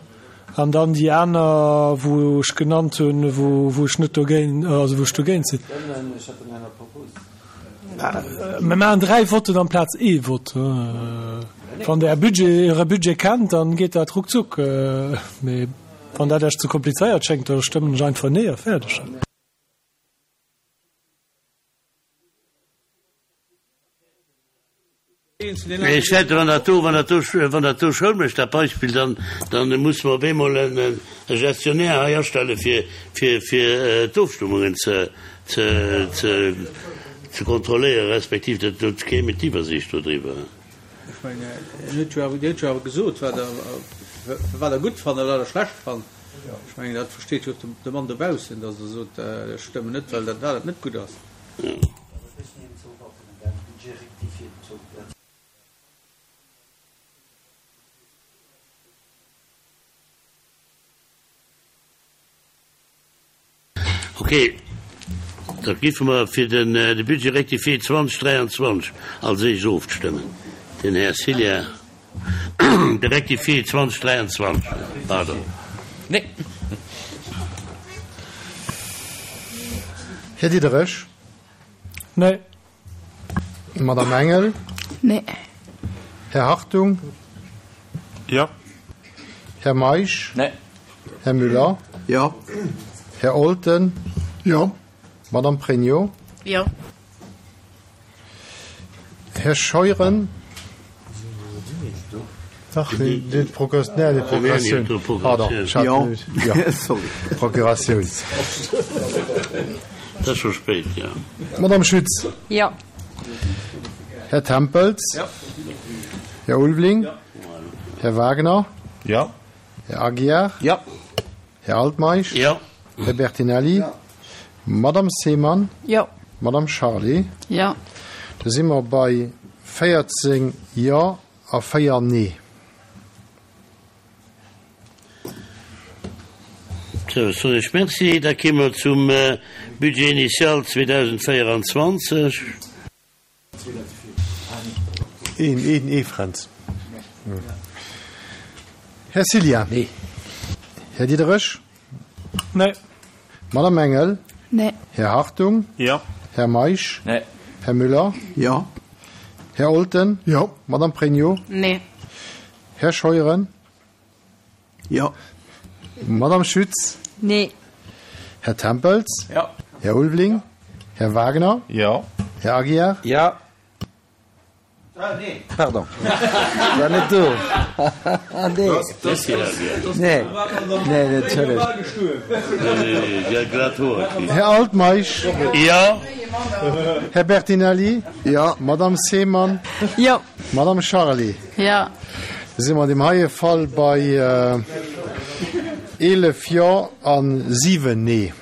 an dann déi aner, wou ech genannt hunn, wou ech net dogéint, also wou ech dogéint sinn. Mir maachen dräi Votten amplaz ee Vott. Wann Der Är Budget, Äre Budget kennt, dann geet dat ruckzuck. Mee wann dat Iech ze komplizéiert schéngt, da stëmmen ech einfach Nee a fäerdeg. Ech fäerte wann dat do, wann dat do, wann dat do Schoul mécht, dat Beispill, dann, dann musse mer op eemol en, e Gestionnaire hei astelle fir, fir, fir d'Ofstëmmungen ze, ze, ze, ze kontrolléieren, respektiv dat, do kéim et d'Iwwersiicht dodriwwer. Ech mengen, en huet jo awer, Dir huet jo awer gesot, wat Der, wat Der gutt fannt a wat Der schlecht fannt. Ech mengen, dat versteet jo och de Mann dobaussen, datt Der sot, ech stëmmen net, well dat, dat net gutt ass. Ok, da géife mer fir de Budget rectifié zwanzeg dräianzwanzeg als éischt ofstëmmen. Den Här Cillien, de Rectifié zwanzeg dräianzwanzeg, pardon. Nee. Här Diderich? Nee. Madame Engel? Nee. Här Hartung? Jo. Här Meisch? Nee. Här Müller? Jo. Här Olten? Jo. Madame Pregno? Jo. Här Scheuren? Dach, déi Procuratioun. Pardon, ech hat. Jo, sorry. Procuratioun. Et ass scho spéit, jo. Madame Schütz? Jo. Här Tempels? Jo. Här Ulveling? Jo. Här Wagner? Jo. Här Aguiar? Jo. Här Altmeisch? Jo. Här Bertinelli? Jo. Madame Seemann? Jo. Madame Charlé? Jo. Da si mer bei véierzéng Jo a véier Nee. Sou, ech soen Iech Merci. Da kéime mer zum Budget initial zweedausendvéieranzwanzeg. Een, een, ee Fränz. Här Cillien. Nee. Här Diderich. Nee. Madame Engel. Nee. Här Hartung. Jo. Här Meisch. Nee. Här Müller. Jo. Här Olten. Jo. Madame Pregno. Nee. Här Scheuren. Jo. Madame Schütz. Nee. Här Tempels. Jo. Här Ulveling. Här Wagner. Jo. Här Aguiar. Jo. Nee. Pardon. War net do. Nee. Nee. Nee, nee, entschëllegt. Här Altmeisch. Jo. Här Bertinelli. Jo. Madame Seemann. Jo. Madame Charlé. Jo. Da si mer an deem heie Fall bei eelef Jo a siwen Nee.